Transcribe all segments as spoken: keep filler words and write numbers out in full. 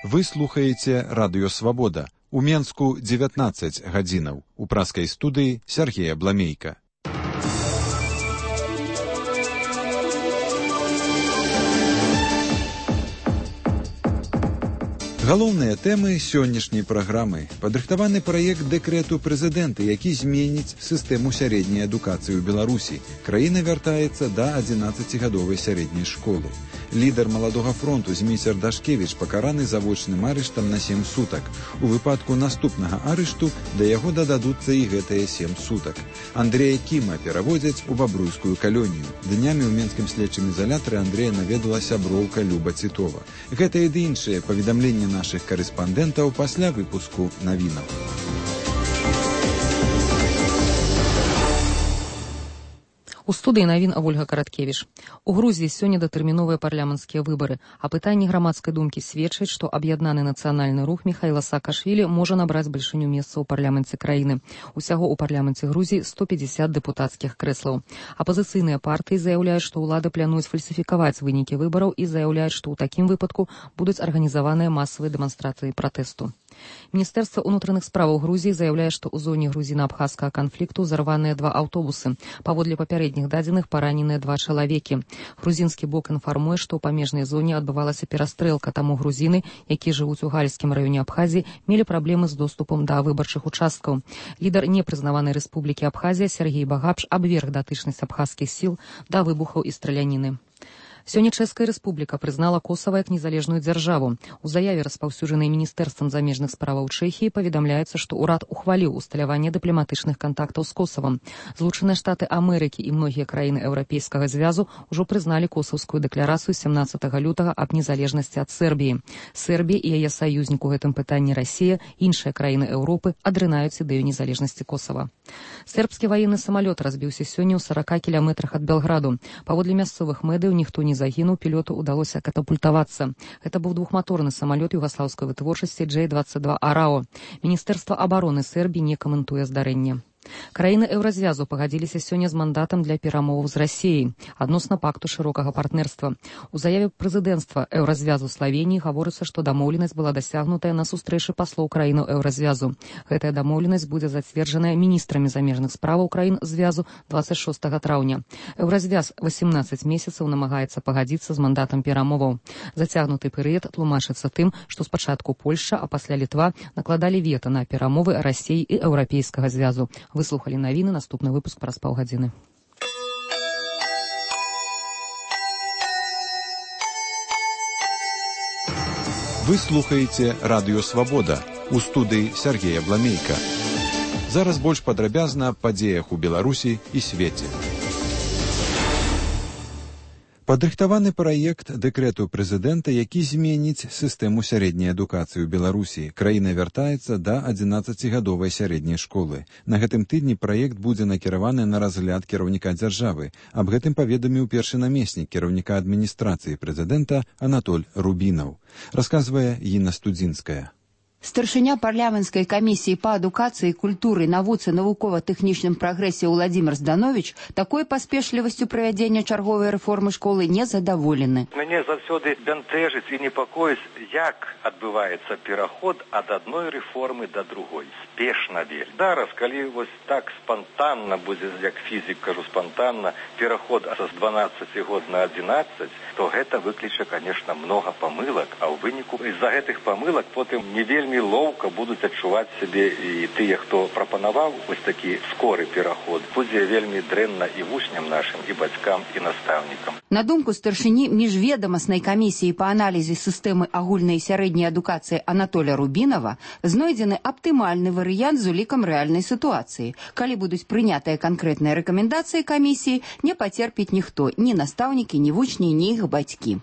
Вы слухаеце Радыё Свабода. У Менску дзевятнаццаць гадзінаў. У праскай студыі Сергея Бламейка. Галоўныя тэмы сённяшняй праграмы. Падрыхтаваны праект дэкрэту прэзідэнта, які зменіць сістэму сярэдняй адукацыі ў Беларусі. Краіна вяртаецца да адзінаццацігадовай сярэдняй школы. Лідар маладога фронту Зміцер Дашкевіч пакараны завочным арыштам на сем сутак. У выпадку наступнага арышту да яго дададуцца і гэтыя сем сутак. Андрэя Кіма пераводзяць у бабруйскую калонію. Днямі ў менскім следчым ізалятары Андрэя наведала сяброўка Люба Цітова. Гэта і ды іншыя паведамленні нашых карэспандэнтаў пасля выпуску навінаў. У студыі навін Ольга Караткевіч. У Грузіі сёння датэрміновыя парламенцкія выбары, а пытанні грамадскай думкі сведчаць, што аб'яднаны нацыянальны рух Міхаіла Саакашвілі можа набраць бальшыню месцаў у парламенце краіны. Усяго ў парламенце Грузіі сто пятьдесят дэпутацкіх крэслаў. Апазіцыйныя партыі заяўляюць, што ўлады плануюць фальсіфікаваць вынікі выбараў і заяўляюць, што ў такім выпадку будуць арганізаваныя масавыя дэманстрацыі пратэсту. Міністэрства ўнутраных справаў Грузіі заяўляе, што ў зоне грузіна-абхазскага канфлікту зарваныя два аўтобусы. Паводле папярэдніх дадзеных параненыя два чалавекі. Грузінскі бок інфармуе, што ў памежнай зоне адбывалася перастрэлка, таму грузіны, якія жывуць у гальскім раёне Абхазіі, мелі праблемы з доступам да выбарчых участкаў. Лідар непрызнаванай рэспублікі Абхазія Сергей Багапш абверг датычнасць абхазскіх сіл да выбухаў і страляніны. Сёння Чэшская рэспубліка прызнала Косава як незалежную дзяржаву. У заяве, распаўсюджанай міністэрствам замежных справаў Чэхіі, паведамляецца, што ўрад ухваліў усталяванне дыпламатычных кантактаў з Косавам. Злучаныя Штаты Амерыкі і многія краіны Еўрапейскага звязу ўжо прызналі косаўскую дэкларацыю сямнаццатага лютага аб незалежнасці ад Сербіі. Сербія і яе саюзнік у гэтым пытанні Расія, іншыя краіны Еўропы адрынаюць ідэю незалежнасці Косава. Сербскі ваенны самалёт разбіўся сёння ў сарака кіламетрах ад Белграду. Паводле мясцовых медыяў ніхто не загінуў, пілоту ўдалося катапультавацца. Гэта быў двухматорны самалёт югаслаўскай вытворчасці Джей двадцать два Арао. Міністэрства абароны Сербіі не каментуе здарэнне. Краіны Еўразвязу пагадзіліся сёння з мандатам для перамоваў з Расіяй адносна пакту шырокага партнерства. У заяве прэзідэнцтва Еўразвязу Славеніі гаворыцца, што дамоўленасць была дасягнутая на сустрэчы паслоў краінаў Еўразвязу. Гэтая дамоўленасць будзе зацверджаная міністрамі замежных справаў краін звязу двадцать шостага траўня. Еўразвяз восемнадцать месяцаў намагаецца пагадзіцца з мандатам перамоваў. Зацягнуты перыяд тлумачыцца тым, што спачатку Польшча, а пасля Літва накладалі вета на перамовы Расіі і Еўрапейскага звязу. Выслухалі навіны, наступны выпуск праз паўгадзіны. Вы слухаеце Радыё Свабода. У студыі Сергея Бламейка. Зараз больш падрабязна аб падзеях у Беларусі і свеце. Падрыхтаваны праект дэкрэту прэзідэнта, які зменіць сістэму сярэдняй адукацыі ў Беларусі. Краіна вяртаецца да адзінаццацігадовай сярэдняй школы. На гэтым тыдні праект будзе накіраваны на разгляд кіраўніка дзяржавы. Аб гэтым паведаміў першы намеснік кіраўніка адміністрацыі прэзідэнта Анатоль Рубінаў. Расказвае Інна Студзінская. Старшыня парламенцкай камісіі па адукацыі, культуры, навуцы, навукова-тэхнічным прагрэсе Уладзімір Здановіч такой паспешлівасцю правядзення чарговай рэформы школы не задаволены. Мяне заўсёды бянтэжыць і непакоіць, як адбываецца пераход ад адной рэформы да другой. Спешна вельмі. Зараз, калі вось так спантанна будзе, як фізік кажу спантанна, пераход са дванаццаці год на адзінаццаць, то гэта выкліча, конечно, много памылак, а ў выніку з-за гэтых памылак потым не вельмі вельмі лоўка будуць адчуваць сябе і тыя, хто прапанаваў вось такі скоры пераход. Будзе вельмі дрэнна і вучням нашым, і бацькам, і настаўнікам. На думку старшыні міжведамаснай камісіі па аналізе сістэмы агульнай і сярэдняй адукацыі Анатоля Рубінава знойдзены аптымальны варыянт з улікам рэальнай сітуацыі. Калі будуць прынятыя канкрэтныя рэкамендацыі камісіі, не пацерпіць ніхто, ні настаўнікі, ні вучні, ні іх бацькі.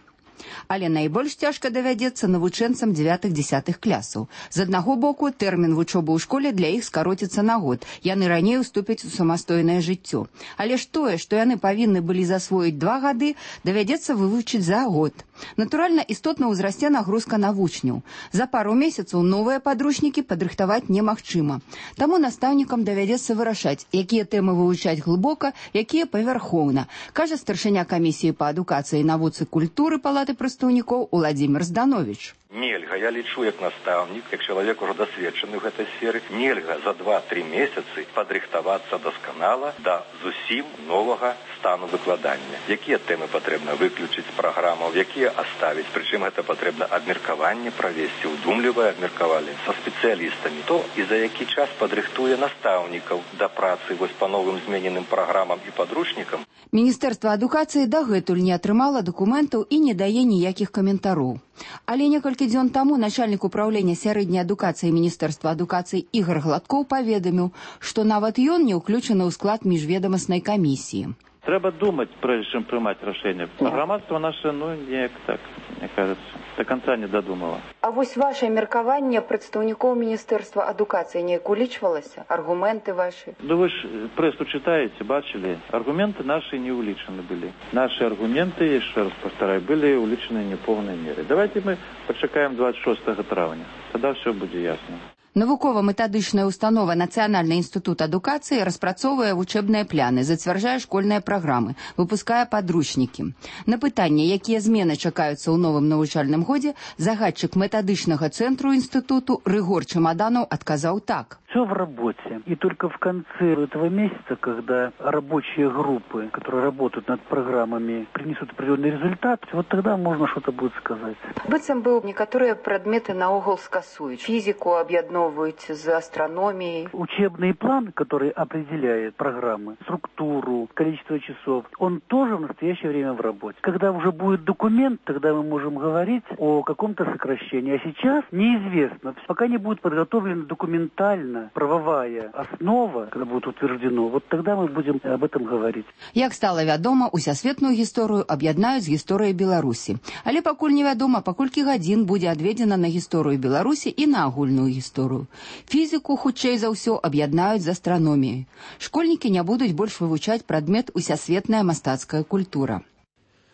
Але найбольш цяжка давядзецца навучэнцам дзевятых-дзесятых класаў. З аднаго боку, тэрмін вучобы ў школе для іх скароціцца на год. Яны раней уступяць у самастойнае жыццё. Але ж тое, што яны павінны былі засвоіць два гады, давядзецца вывучыць за год. Натуральна, істотна ўзрасце нагрузка на вучняў. За пару месяцаў новыя падручнікі падрыхтаваць немагчыма. Таму настаўнікам давядзецца вырашаць, якія тэмы вывучаць глыбока, якія павярхоўна, кажа старшыня камісіі па адукацыі, навуцы, культуры Палаты прадстаўнікоў Уладзімір Здановіч. Нельга, я лічу як настаўнік, як чалавек ужо дасведчаны ў гэтай сферы, нельга за два-тры месяцы падрыхтавацца дасканала да зусім новага стану выкладання. Якія тэмы патрэбна выключыць з праграмаў, якія аставіць, прычым гэта патрэбна абмеркаванне правесці, удумлівае абмеркаванне са спецыялістамі. То і за які час падрыхтуе настаўнікаў да працы вось па новым змененым праграмам і падручнікам. Міністэрства адукацыі дагэтуль не атрымала дакументаў і не дае ніякіх каментароў. Але некалькі дзён таму начальнік управлення сярэдняй адукацыі Міністэрства адукацыі Ігор Гладкоў паведаміў, што нават ён не ўключаны ў склад міжведамаснай камісіі. Трэба думаць, прежде чым прымаць рашэнне. Грамадства наше, ну, неяк так, мне кажется, до конца не додумала. А вось ваше меркаванне прадстаўнікоў Міністэрства адукацыі неяк улічвалася? Аргументы ваши? Ну вы ж прессу читаете, бачили? Аргументы наши не уличены были. Наши аргументы, еще раз повторяю, были уличены не в полной мере. Давайте мы почекаем двадцать шестого травня. Тогда все будет ясно. Навукова-метадычная установа Нацыянальны інстытут адукацыі распрацоўвае вучэбныя пляны, зацвярджае школьныя праграмы, выпускае падручнікі. На пытанне, якія змены чакаюцца ў новым навучальным годзе, загадчык метадычнага цэнтру інстытуту Рыгор Чемоданов адказаў так. Все в работе. И только в конце этого месяца, когда рабочие группы, которые работают над программами, принесут определенный результат, вот тогда можно что-то будет сказать. Быццам бы некаторыя прадметы наогул скасуюць. Фізіку аб'ядноўваюць з астрономіяй. Учебный план, который определяет программы, структуру, количество часов, он тоже в настоящее время в работе. Когда уже будет документ, тогда мы можем говорить о каком-то сокращении. А сейчас неизвестно. Пока не будет подготовлена документально правовая основа, когда будет утверждено, вот тогда мы будем об этом говорить. Як стала вядома, усесветную гісторыю аб'яднаюць з гісторыяй Беларусі. Але пакуль невядома, па колькі гадзін будзе адведзена на гісторыю Беларусі і на агульную гісторыю. Фізіку, хутчэй за ўсё, аб'яднаюць з астраноміяй. Школьнікі не будуць больш вывучаць прадмет усесветная мастацкая культура.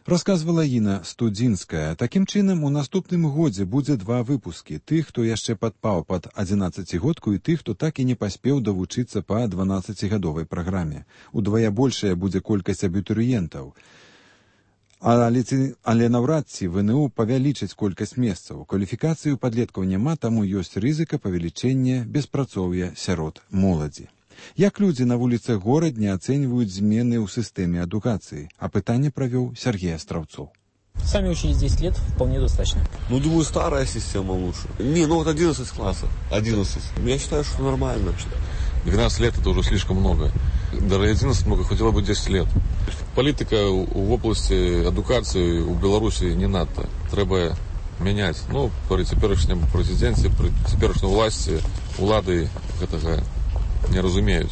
Расказвала Іна Студзінская. Такім чынам, у наступным годзе будзе два выпускі. Тых, хто яшчэ падпаў пад адзінаццацігодку, і тых, хто так і не паспеў давучыцца па дванаццацігадовай праграме. Удвая большая будзе колькасць абітурыентаў. Але, але наўрад ці ВНУ павялічыць колькасць месцаў. Кваліфікацыі ў падлеткаў няма, таму ёсць рызыка павелічэння беспрацоўя сярод моладзі. Як людзі на вуліцах горадня ацэньваюць змены ў сістэме адукацыі? Апытанне правёў Сергей Островцов. Сами учились десять лет, вполне достаточно. Ну, думаю, старая система лучше. Не, ну вот одиннадцать классов. одиннадцать. Я считаю, что нормально вообще. двенадцать лет это уже слишком много. Даже одиннадцать много, хотела бы десять лет. Політика в области адукації у Білорусі не надто. Треба міняти. Ну, при теперішньому президенті, при теперішній власті, улады этого не разумеют.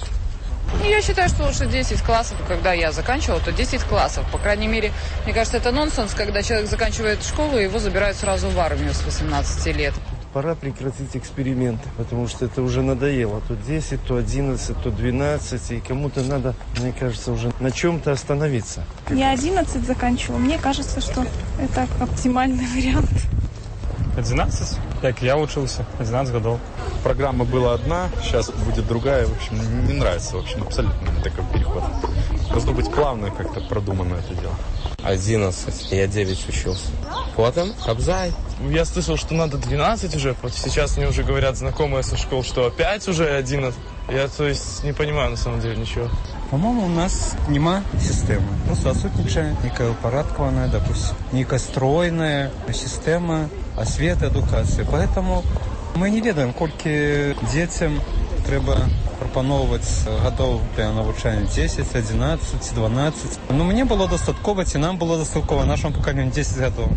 Я считаю, что лучше десять классов. Когда я заканчивала, то десять классов. По крайней мере, мне кажется, это нонсенс, когда человек заканчивает школу, и его забирают сразу в армию с восемнадцати лет. Пора прекратить эксперименты, потому что это уже надоело. То десять, то одиннадцать, то двенадцать. И кому-то надо, мне кажется, уже на чем-то остановиться. Я одиннадцать заканчивала. Мне кажется, что это оптимальный вариант. одиннадцать? Как я учился, одиннадцать годов. Программа была одна, сейчас будет другая. В общем, не нравится, в общем, абсолютно такой переход. Должно быть плавно как-то продумано это дело. одиннадцать, я девять учился. Потом Кобзай. Я слышал, что надо двенадцать уже. Вот сейчас мне уже говорят знакомые со школ, что опять уже одиннадцать. Я, то есть, не понимаю на самом деле ничего. По-моему, у нас нема системы. Просто отсутнічає некая упорядкованная, допустим, некая стройная система освіти, адукації. Поэтому мы не ведаем, колькі детям треба пропановывать годов для навучання десять, одиннадцать, дванадцать. Но мне было достатково, и нам было достатково, нашему поколению десять годов.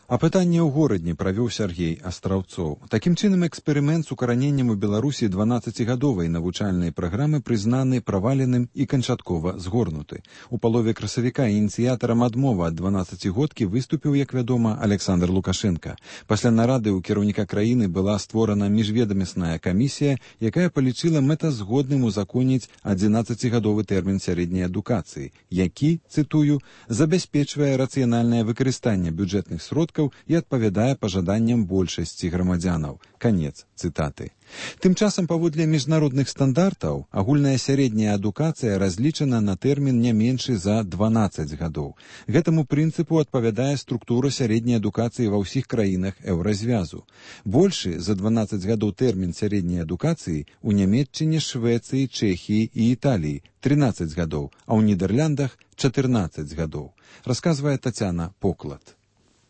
Апытанне ў горадні правёў Сергей Астраўцоў. Такім чынам, эксперымент з укараненнем у Беларусі дванаццацігадовай навучальнай праграмы прызнаны праваленым і канчаткова згорнуты. У палове красавіка ініцыятарам адмовы ад дванаццацігодкі выступіў, як вядома, Александр Лукашенко. Пасля нарады ў кіраўніка краіны была створана міжведамасная камісія, якая палічыла мэтазгодным узаконіць адзінаццацігадовы тэрмін сярэдняй адукацыі, які, цытую, забяспечвае рацыянальнае выкарыстанне бюджэтных сродкаў адсоткаў і адпавядае пажаданням большасці грамадзянаў. Канец цытаты. Тым часам, паводле міжнародных стандартаў, агульная сярэдняя адукацыя разлічана на тэрмін не меншы за дванаццаць гадоў. Гэтаму прынцыпу адпавядае структура сярэдняй адукацыі ва ўсіх краінах еўразвязу. Большы за дванаццаць гадоў тэрмін сярэдняй адукацыі у Нямецчыне, Швецыі, Чэхіі і Італіі трынаццаць гадоў, а ў Нідэрляндах чатырнаццаць гадоў. Расказвае Тацяна Поклад.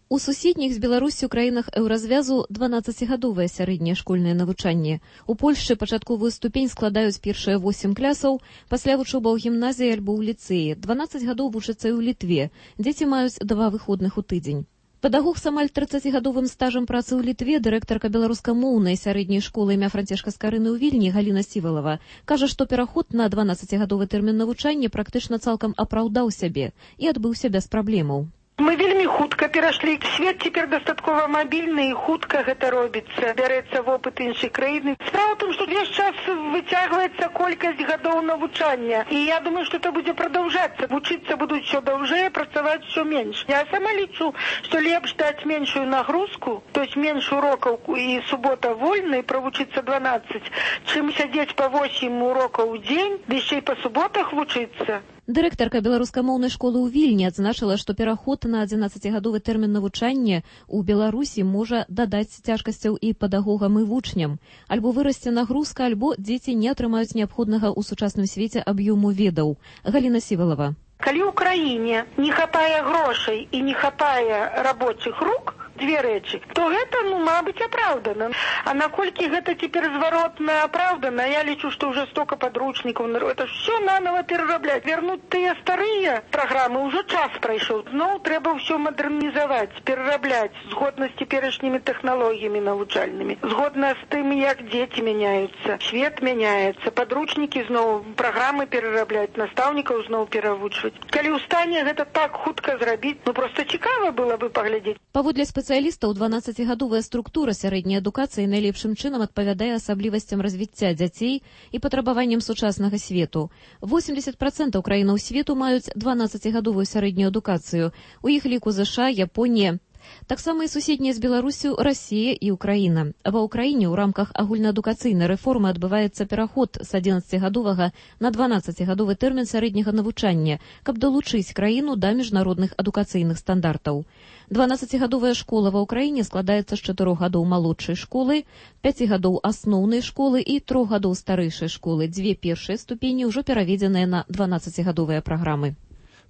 У суседніх з Беларусю краінах еўразвязу дванаццацігадовае сярэдняе школьнае навучанне. У Польшчы пачатковую ступень складаюць першыя восем клясаў, пасля вучоба ў гімназіі альбо ў ліцэі. дванаццаць гадоў вучацца і ў Літве. Дзеці маюць два выходных у тыдзень. Педагог з амаль трыццацігадовым стажам працы ў Літве, дырэктарка беларускамоўнай сярэдняй школы імя Францішка Скарыны ў Вільні Галіна Сівалава, кажа, што пераход на дванаццацігадовы тэрмін навучання практычна цалкам апраўдаў сябе і адбыўся без праблемаў. Мы вельмі хутка перайшлі. Свет цяпер дастаткова мабільны і хутка гэта робіцца. Бярэцца вопыт іншай краіны. Справа ў тым, што увесь час выцягваецца колькасць гадоў навучання. І я думаю, што это будзе прадаўжацца. Вучыцца будуць усё даўжэй, працаваць усё менш. Я сама лічу, што лепш даць меншую нагрузку, то есть менш урокаў і субота вольна, і правучыцца дванаццаць, чым сядзець па восем урокаў у дзень, ды яшчэ і па суботах вучыцца. Дырэктарка беларускамоўнай школы ў Вільні адзначыла, што пераход на адзінаццацігадовы тэрмін навучання ў Беларусі можа дадаць цяжкасцяў і педагогам і вучням. Альбо вырасце нагрузка, альбо дзеці не атрымаюць неабходнага ў сучасным свеце аб'ёму ведаў. Галіна Сівалава. Калі ў краіне не хапае грошай і не хапае рабочых рук, две рэчы, то гэта, ну, мабыць, апраўдана. А наколькі гэта цяпер зваротна апраўдана, я лічу, што ўжо стока падручнікаў, это ўсё нанова перарабляць. Вернуць тыя старыя праграмы, ўжо час прайшоў. Зноў трэба ўсё мадэрнізаваць, перарабляць, згодна з цяперашнімі тэхналогіямі навучальнымі, згодна з тым, як дзеці мяняюцца, свет мяняецца, падручнікі зноў, праграмы перарабляць, настаўнікаў зноў перавучваць. Калі ў стане гэта так хутка зрабіць, ну, проста цікава было бы паглядзець. Паводле спецыялістаў, дванаццацігадовая структура сярэдняй адукацыі найлепшым чынам адпавядае асаблівасцям развіцця дзяцей і патрабаванням сучаснага свету. восемьдесят процентов краінаў свету маюць дванаццацігадовую сярэднюю адукацыю. У іх ліку ЗША, Японія. Таксама і суседнія з Беларусю Расія і Украіна. Ва Ўкраіне ў рамках агульнаадукацыйнай рэформы адбываецца пераход з адзінаццацігадовага на дванаццацігадовы тэрмін сярэдняга навучання, каб далучыць краіну да міжнародных адукацыйных стандартаў. дванаццацігадовая школа ва Ўкраіне складаецца з чатырох гадоў малодшай школы, пяці гадоў асноўнай школы і трох гадоў старэйшай школы. Дзве першыя ступені ўжо пераведзеныя на дванаццацігадовыя праграмы.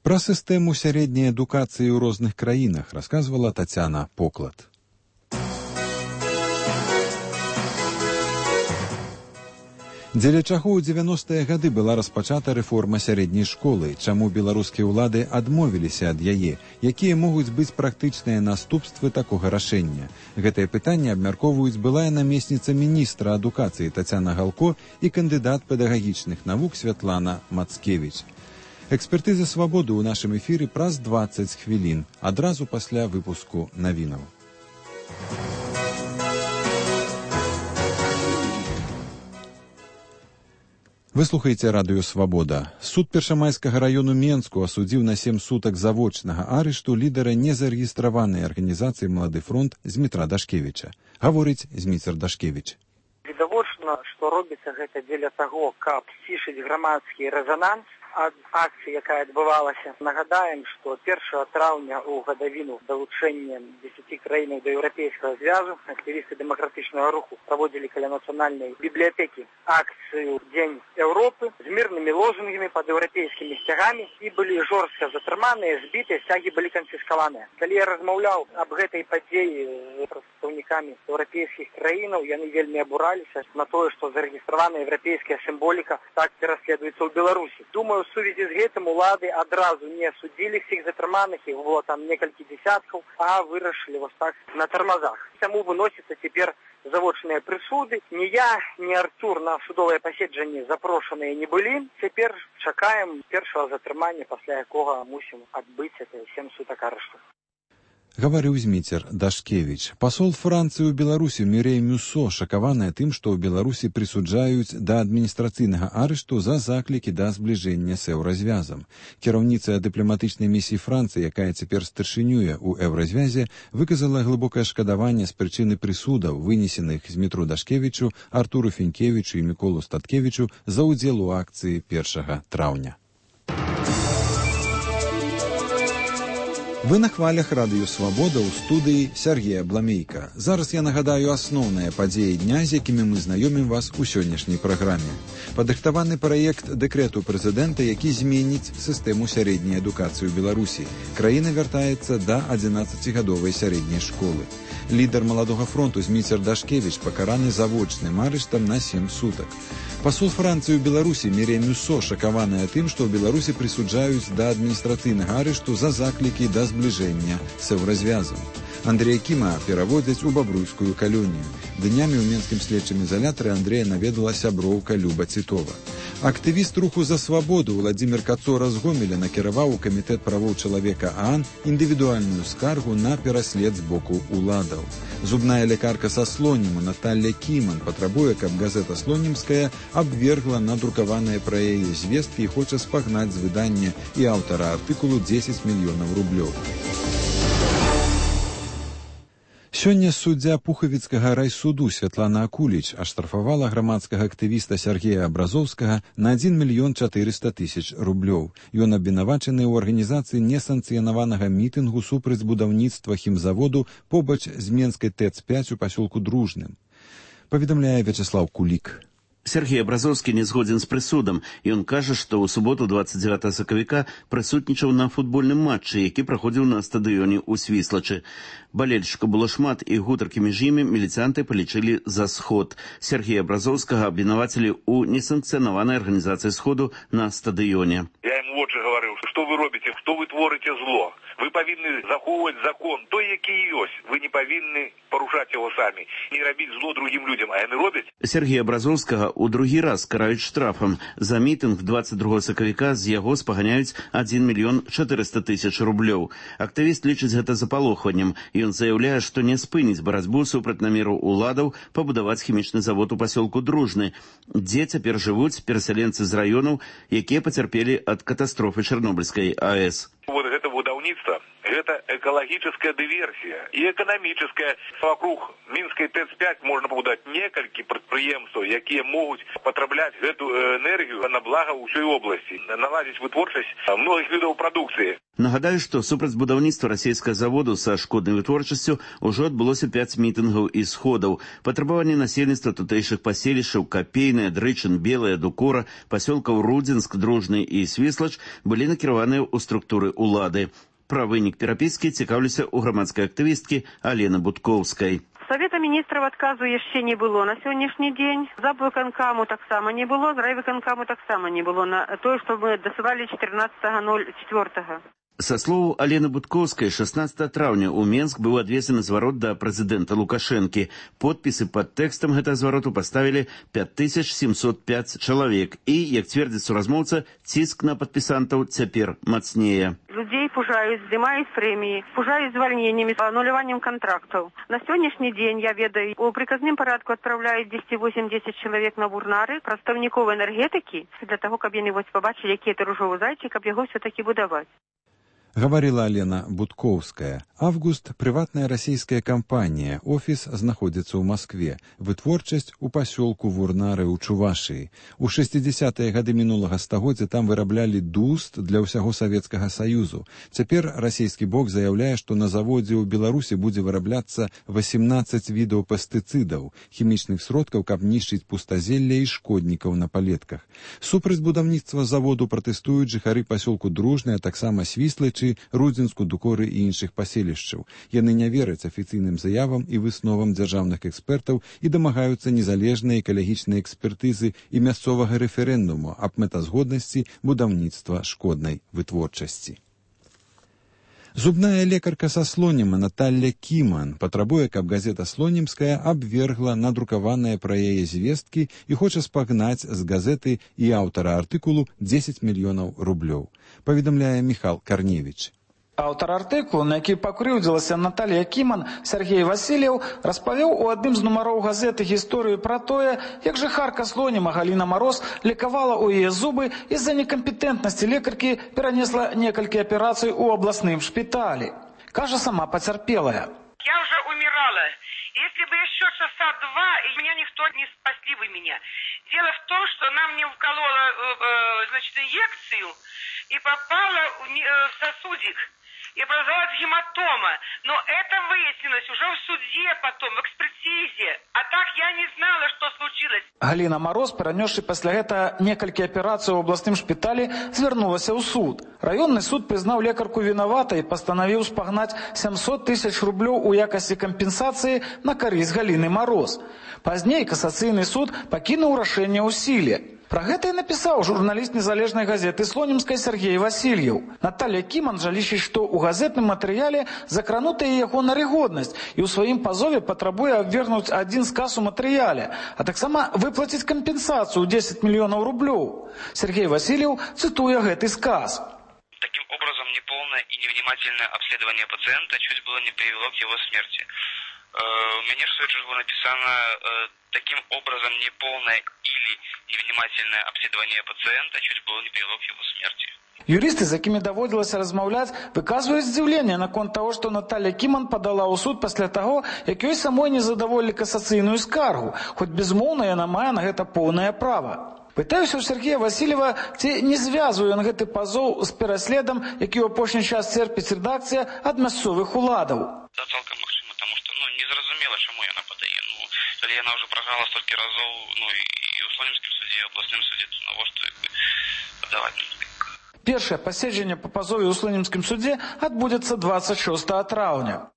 Пра сістэму сярэдняй адукацыі ў розных краінах расказвала Тацяна Поклад. Дзеля чаго ў дзевяностыя гады была распачата рэформа сярэдняй школы, чаму беларускія ўлады адмовіліся ад яе, якія могуць быць практычныя наступствы такога рашэння. Гэтае пытанне абмяркоўваюць былая намесніца міністра адукацыі Тацяна Галко і кандыдат педагагічных навук Святлана Мацкевіч. Экспертыза «Свабоды» ў нашым эфіры праз дваццаць хвілін, адразу пасля выпуску навінаў. Вы слухаеце радыё «Свабода». Суд Першамайскага раёну Менску асудзіў на сем сутак завочнага арышту лідара незарэгістраванай арганізацыі «Малады фронт» Змітра Дашкевіча. Гаворыць Зміцер Дашкевіч. Відавочна, што робіцца гэта дзеля таго, каб сцішыць грамадскі рэзананс ад акцыі, якая адбывалася. Нагадаем, што першага траўня ў гадавіну далучэння дзесяці краінаў да еўрапейскага звязу актывісты дэмакратычнага руху праводзілі каля нацыянальнай бібліятэкі акцыю «Дзень Еўропы» з мірнымі лозунгамі пад еўрапейскімі сцягамі і былі жорстка затрыманыя, збітыя, сцягі былі канфіскаваныя. Калі я размаўляў аб гэтай падзеі з прадстаўнікамі еўрапейскіх краінаў, яны вельмі абураліся на тое, што зарэгістраваная еўрапейская сімволіка так пераследуецца ў Беларусі. Думаю, у сувязі з гэтым улады адразу не судзілі всіх затрыманых, іх было там некалькі десяткаў, а вырашылі вось так на тармазах. Таму выносяцца цяпер завочныя прысуды. Ні я, ні Артур на судовае паседжанне запрошаныя не былі. Цяпер чакаем першага затрымання, пасля якога мусім адбыць это сем сутак арышту. Гаварыў Зміцер Дашкевіч. Пасол Францыі ў Беларусі Мірей Мюсо шакаваная тым, што ў Беларусі прысуджаюць да адміністрацыйнага арышту за заклікі да збліжэння з еўразвязам. Кіраўніца дыпламатычнай місіі Францыі, якая цяпер старшынюе ў еўразвязе, выказала глыбокае шкадаванне з прычыны прысудаў, вынесеных Змітру Дашкевічу, Артуру Фінкевічу і Міколу Статкевічу за ўдзел у акцыі першага траўня. Вы на хвалях радыё «Свабода» ў студыі Сергея Бламейка. Зараз я нагадаю асноўныя падзеі дня, з якімі мы знаёмім вас у сённяшняй праграме. Падрыхтаваны праект дэкрэту прэзідэнта, які зменіць сістэму сярэдняй адукацыі ў Беларусі. Краіна вяртаецца да адзінаццацігадовай сярэдняй школы. Лідар маладога фронту Зміцер Дашкевіч пакараны завочным арыштам на сем сутак. Пасол Францыі ў Беларусі Мірей Мюсо шакаваная тым, што ў Беларусі прысуджаюць да адміністрацыйнага арышту за заклікі да збліжэння з еўразвязам. Андрэя Кіма пераводзяць у бабруйскую калонію. Днямі ў менскім следчым ізалятары Андрэя наведала сяброўка Люба Цітова. Актывіст руху за свабоду Владзімір Кацора з Гомеля накіраваў у камітэт правоў чалавека ААН індывідуальную скаргу на пераслед з боку уладаў. Зубная лекарка са Слоніму Наталля Кіман патрабуе, каб газета «Слонімская» абвергла надрукаваныя пра яе звесткі і хоча спагнаць з выдання і аўтара артыкулу дзесяць мільёнаў рублёў. Сёння суддзя Пухавіцкага райсуду Святлана Акуліч аштрафавала грамадскага актывіста Сергея Абразоўскага на адзін мільён чатырыста тысяч рублёў. Ён абвінавачаны ў арганізацыі несанкцыянаванага мітынгу супраць будаўніцтва хімзаводу побач з Менскай ТЭЦ пяць у пасёлку Дружным. Паведамляе Вячеслав Кулік. Сергей Абразоўскі не згодзін з прысудам, і ён кажа, што ў суботу дваццаць дзевятага сакавіка прысутнічаў на футбольным матчы, які праходзіў на стадыёне ў Свіслачы. Балельшчыкаў было шмат, і гутаркі між імі міліцыянты палічылі за сход. Сергея Абразоўскага абвінавацілі ў несанкцыянаванай арганізацыі сходу на стадыёне. Я ім вочы гаварыў, што вы робіце, што вы творыце зло. Вы павінны захоўваць закон, той, які ёсць. Вы не павінны парушаць яго самі, не рабіць зло другім людзям, а яны робяць. Сергея Абразоўскага у другі раз караюць штрафам. За мітынг дваццаць другога сакавіка з яго спаганяюць адзін мільён чатырыста тысяч рублёў. Актывіст лічыць гэта запалохваннем. Ён заяўляе, што не спыніць барацьбу супраць намеру уладаў пабудаваць хімічны завод у пасёлку Дружны, дзе цяпер жывуць перасяленцы з раёнаў, якія пацярпелі ад катастрофы Чарнобыльскай АЭС. Вот это будаўніцтва, гэта экалагічная дыверсія і эканамічная. Вокруг Мінскай ТЭЦ пяць можна пабудаваць некалькі прадпрыемстваў, якія могуць патрабляць гэту энергію на блага ўсёй обласці, наладзіць вытворчасць многіх відаў прадукцыі. Нагадаю, што супраць будаўніцтва расійскага заводу са шкоднай вытворчасцю ўжо адбылося пяць мітынгаў і сходаў. Патрабаванні насельніцтва тутэйшых паселішчаў Капейная, Дрычын, Белая, Дукора, пасёлкаў Рудзінск, Дружны і Свіслач былі накіраваныя ў структуры улады. Пра вынік перапіскі цікаўлюся ў грамадскай актывісткі Алены Будкоўскай. Савета міністраў адказу яшчэ не было на сённяшні дзень. За выканкаму таксама не было, з райвыканкаму таксама не было на тое, што мы дасылалі чатырнаццатага ноль чатырнаццатага. Са словаў Алены Будкоўскай, шаснаццатага траўня ў Менск быў адвезены зварот да прэзідэнта Лукашэнкі. Подпісы пад тэкстам гэтага звароту паставілі пяць тысяч сямсот пяць чалавек. І, як цвердзіць суразмоўца, ціск на падпісантаў цяпер мацнее. Людзей пужаюць, здымаюць прэміі, пужаюць звальненнямі, ануляваннем кантрактаў. На сённяшні дзень, я ведаю, у прыказным парадку адпраўляюць дзесяць восемь-дзесяць чалавек на бурнары, прадстаўнікоў энергетыкі, для таго, каб яны вось пабачылі, які это ружовы зайчык, каб яго все-таки будаваць. Гаварыла Алена Будкоўская. Август – прыватная расійская кампанія. Офіс знаходзіцца ў Маскве. Вытворчасць у пасёлку Вурнары ў Чувашыі. У шэсцідзесятыя гады мінулага стагоддзя там выраблялі дуст для ўсяго Савецкага Саюзу. Цяпер расійскі бок заяўляе, што на заводзе ў Беларусі будзе вырабляцца васемнаццаць відаў пестыцыдаў, хімічных сродкаў, каб нішчыць пустазелля і шкоднікаў на палетках. Супраць будаўніцтва заводу пратэстуюць жыхары пасёлку Дружны, а таксама Свіслачы, Рудзінску, Дукоры і іншых паселішчаў. Яны не вераць афіцыйным заявам і высновам дзяржаўных экспертаў і дамагаюцца незалежнай экалагічнай экспертызы і мясцовага рэферэндуму аб мэтазгоднасці будаўніцтва шкоднай вытворчасці. Зубная лекарка са Слоніма Наталля Кіман патрабуе, каб газета «Слонімская» абвергла надрукаваныя пра яе звесткі і хоча спагнаць з газеты і аўтара артыкулу дзесяць мільёнаў рублёў. Паведамляе Міхал Карневіч. Аўтар артыкулу, на які пакрыўдзілася Наталья Кіман, Сергей Васильев, распавёў у адным з нумароў газеты гісторыю пра тое, як жыхарка Слоніма Галіна Мароз лекавала ў яе зубы і з-за некампетэнтнасці лекаркі перанесла некалькі аперацый у абласным шпіталі. Кажа сама пацярпелая. Я уже умирала. Если бы еще часа два, и меня никто не спасли бы меня. Дело в том, что она мне вколола э, э, значит, инъекцию и попала в сосудик. И образовалась гематома. Но это выяснилось уже в суде потом, в экспертизе. А так я не знала, что случилось. Галина Мароз, перанесши пасля гэта некалькі аперацый у абласным шпіталі, звярнулася ў суд. Раённы суд прызнаў лекарку вінаватай і пастанавіў спагнаць сямсот тысяч рублёў у якасці кампенсацыі на карысць Галіны Мароз. Пазней касацыйны суд пакінуў рашэнне ў сіле. Пра гэта і напісаў журналіст незалежнай газеты «Слонімскай» Сергей Васильев. Наталья Кіман жа лічыць, што ў газетным матэрыяле закранутая яго нарыгоднасць і ў сваім пазове патрабуе абвергнуць адзін сказ у матэрыяле, а таксама выплаціць кампенсацыю дзесяць мільёнаў рублёў. Сергей Васильев цытуе гэты сказ. Таким образом, неполное и невнимательное обследование пациента чуть было не привело к его смерти. У меня в свою очередь было написано таким образом неполное или невнимательное обследование пациента чуть было не привело к его смерти. Юристы, з якімі даводзілася размаўляць, выказваюць здзіўленне наконт таго, што Наталья Кіман падала ў суд пасля таго, як ёй самой не задаволілі касацыйную скаргу, хоць безумоўна яна мае на гэта поўнае права. Пытаюся ў Сергея Васильева, ці не звязвае ён гэты пазоў з пераследам, які ў апошні час церпіць рэдакцыя ад мясцовых уладаў. Да, цалкам магчыма, таму што ну, незразумела, чаму яна падае. Ну, калі яна ўжо праграла столькі разоў ну, і ў Слонімскім суде, і ў абласным суде, то навошта падаваць? Першае паседжанне па пазове ў Слонімскім судзе адбудзецца двадцать шостого траўня.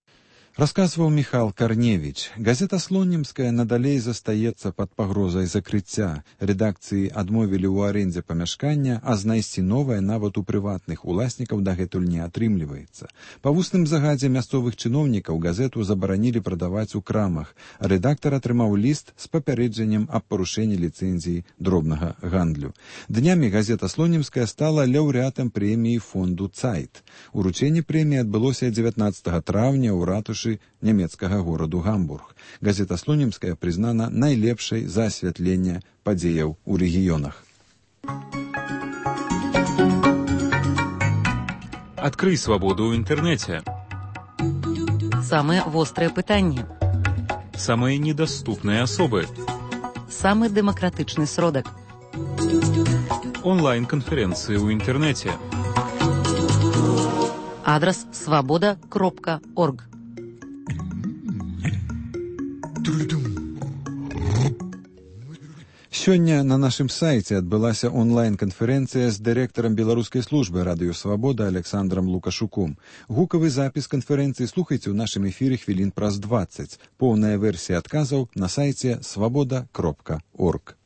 Расказваў Міхал Карневіч. Газета «Слонімская» надалей застаецца пад пагрозай закрыцця. Рэдакцыі адмовілі ў арэндзе памяшкання, а знайсці новае нават у прыватных уласнікаў дагэтуль не атрымліваецца. Па вусным загадзе мясцовых чыноўнікаў газету забаранілі прадаваць у крамах, а рэдактар атрымаў ліст з папярэджаннем аб парушэнні ліцэнзіі дробнага гандлю. Днямі газета «Слонімская» стала лаўрэатам прэміі фонду «Цайт». Уручэнне прэміі адбылося дзевятнаццатага траўня ў ратушы нямецкага гораду Гамбург. Газета «Слонімская» прызнана найлепшай за асвятленне падзеяў у рэгіёнах. Открый свободу ў інтэрнэце. Самые вострые пытанні. Самые недоступные особы. Самый демократичный сродок. Онлайн-конференции ў інтэрнэце. Адрес свобода кропка орг. Сёння на нашым сайце адбылася онлайн-канферэнцыя з дырэктарам беларускай службы радыё «Свабода» Александром Лукашуком. Гукавы запіс канферэнцыі слухайце ў нашым эфіры хвілін праз дваццаць. Поўная версія адказаў на сайце свабода кропка орг.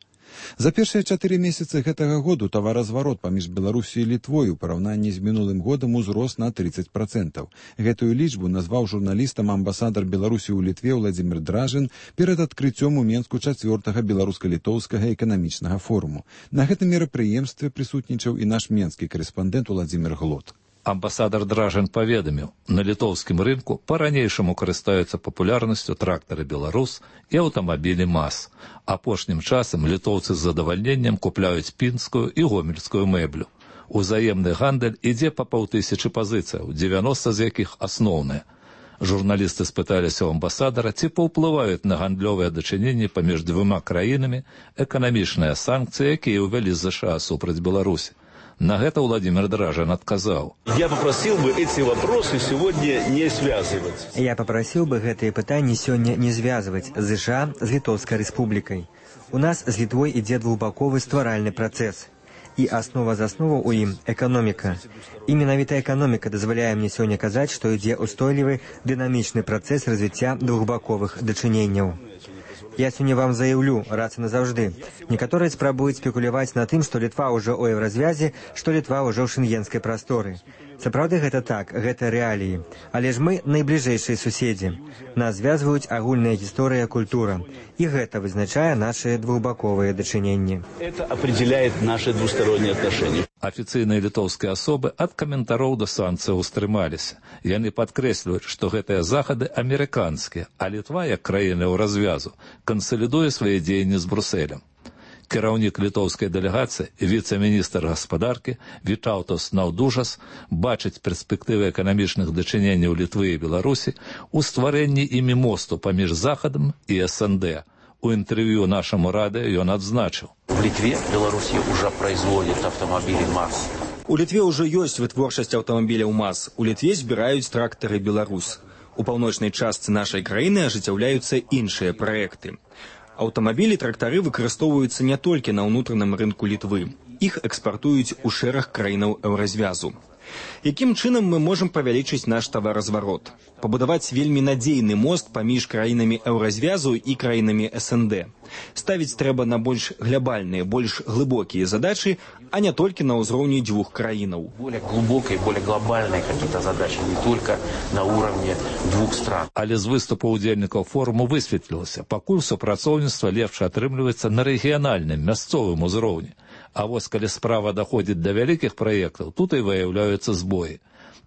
За першыя чатыры месяцы гэтага году таваразварот паміж Беларусю і Літвой у параўнанні з мінулым годам узрос на тридцать процентов. Гэтую лічбу назваў журналістам амбасадар Беларусі ў Літве Владзімір Дражын перад адкрыццём у Менску чацвёртага беларуска-літоўскага эканамічнага форуму. На гэтым мерапрыемстве прысутнічаў і наш менскі карэспандэнт Владзімір Глот. Амбасадар Дражин паведаміў, на літоўскім рынку па-ранейшаму карыстаюцца папулярнасцю трактары «Беларус» і аўтамабілі МАЗ. Апошнім часам літоўцы з задавальненнем купляюць пінскую і гомельскую мэблю. Узаемны гандаль ідзе па паўтысячы пазіцыяў, дзевяноста з якіх асноўныя. Журналісты спыталіся ў амбасадара, ці паўплываюць на гандлёвыя дачыненні паміж двума краінамі эканамічныя санкцыі, якія ўвялі з ЗША супраць Беларусі. На это Владимир Дражин отказал. Я попросил бы эти вопросы сегодня не связывать. Я попросил бы гэтые пытанні сегодня не связывать з США с Литовской республикой. У нас с Литвой идет двухбоковый стваральный процесс. И основа за основу у ім экономика. И менавіта экономика дазваляе мне сегодня казаць, что ідзе устойлівы дынамічны процесс развіцця двухбаковых дачыненняў. Я сегодня вам заявлю, раз и назаўжды. Некаторые спрабуюць спекуляваць на тым, што Літва ўжо ў еўразвязе, што Літва ўжо ў шенгенскай прасторы. Сапраўды гэта так, гэта рэаліі. Але ж мы найбліжэйшыя суседзі. Нас звязваюць агульная гісторыя, культура. І гэта вызначае наши двухбаковыя дачыненні. Это определяет наши двусторонние отношения. Афіцыйныя літоўскія асобы ад каментароў да санкцыяў устрымаліся. Яны падкрэсліваюць, што гэтыя захады амерыканскія, а Літва, як краіна ў развязу, кансалідуе свае дзеянні з Брусэлем. Кіраўнік літоўскай дэлегацыі, віцэ-міністр гаспадаркі Вітаўтас Наўдужас бачыць перспектывы эканамічных дачыненняў Літвы і Беларусі ў стварэнні імі мосту паміж Захадам і эс эн дэ. У інтэрв'ю нашаму радыё ён адзначыў. В Литве Беларусь уже производит автомобили МАЗ. У Літве ўжо ёсць вытворчасць аўтамабіляў МАЗ. У Літве збіраюць трактары «Беларус». У паўночнай частцы нашай краіны ажыццяўляюцца іншыя праекты. Аўтамабілі трактары выкарыстоўваюцца не толькі на ўнутраным рынку Літвы. Іх экспартуюць у шэраг краінаў еўразвязу. Якім чынам мы можам павялічыць наш таваразварот? Пабудаваць вельмі надзейны мост паміж краінамі еўразвязу і краінамі эс эн дэ. Ставіць трэба на больш глобальныя, больш глыбокія задачы, а не толькі на ўзроўні дзвюх краінаў. Более глубокие, более глобальные какие-то задачи, не только на уровне двух стран. Але з выступу удзельнікаў форуму высветлілася, пакуль супрацоўніцтва лепш атрымліваецца на рэгіянальным, мясцовым узроўні. А вось калі справа даходзіць да вялікіх праектаў, тут і выяўляюцца збоі.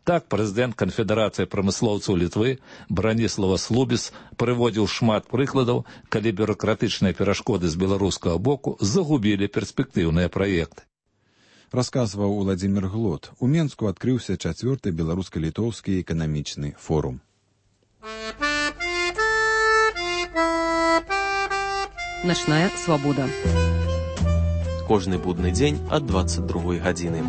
Так, прэзідэнт Канфедэрацыі прамыслоўцаў Літвы Браніслава Слубіс прыводзіў шмат прыкладаў, калі бюракратычныя перашкоды з беларускага боку загубілі перспектыўныя праекты. Расказваў Уладзімір Глот. У Менску адкрыўся чацвёрты беларуска-літоўскі эканамічны форум. Начная свабода. Кожны будны дзень ад дваццаць другой гадзіны.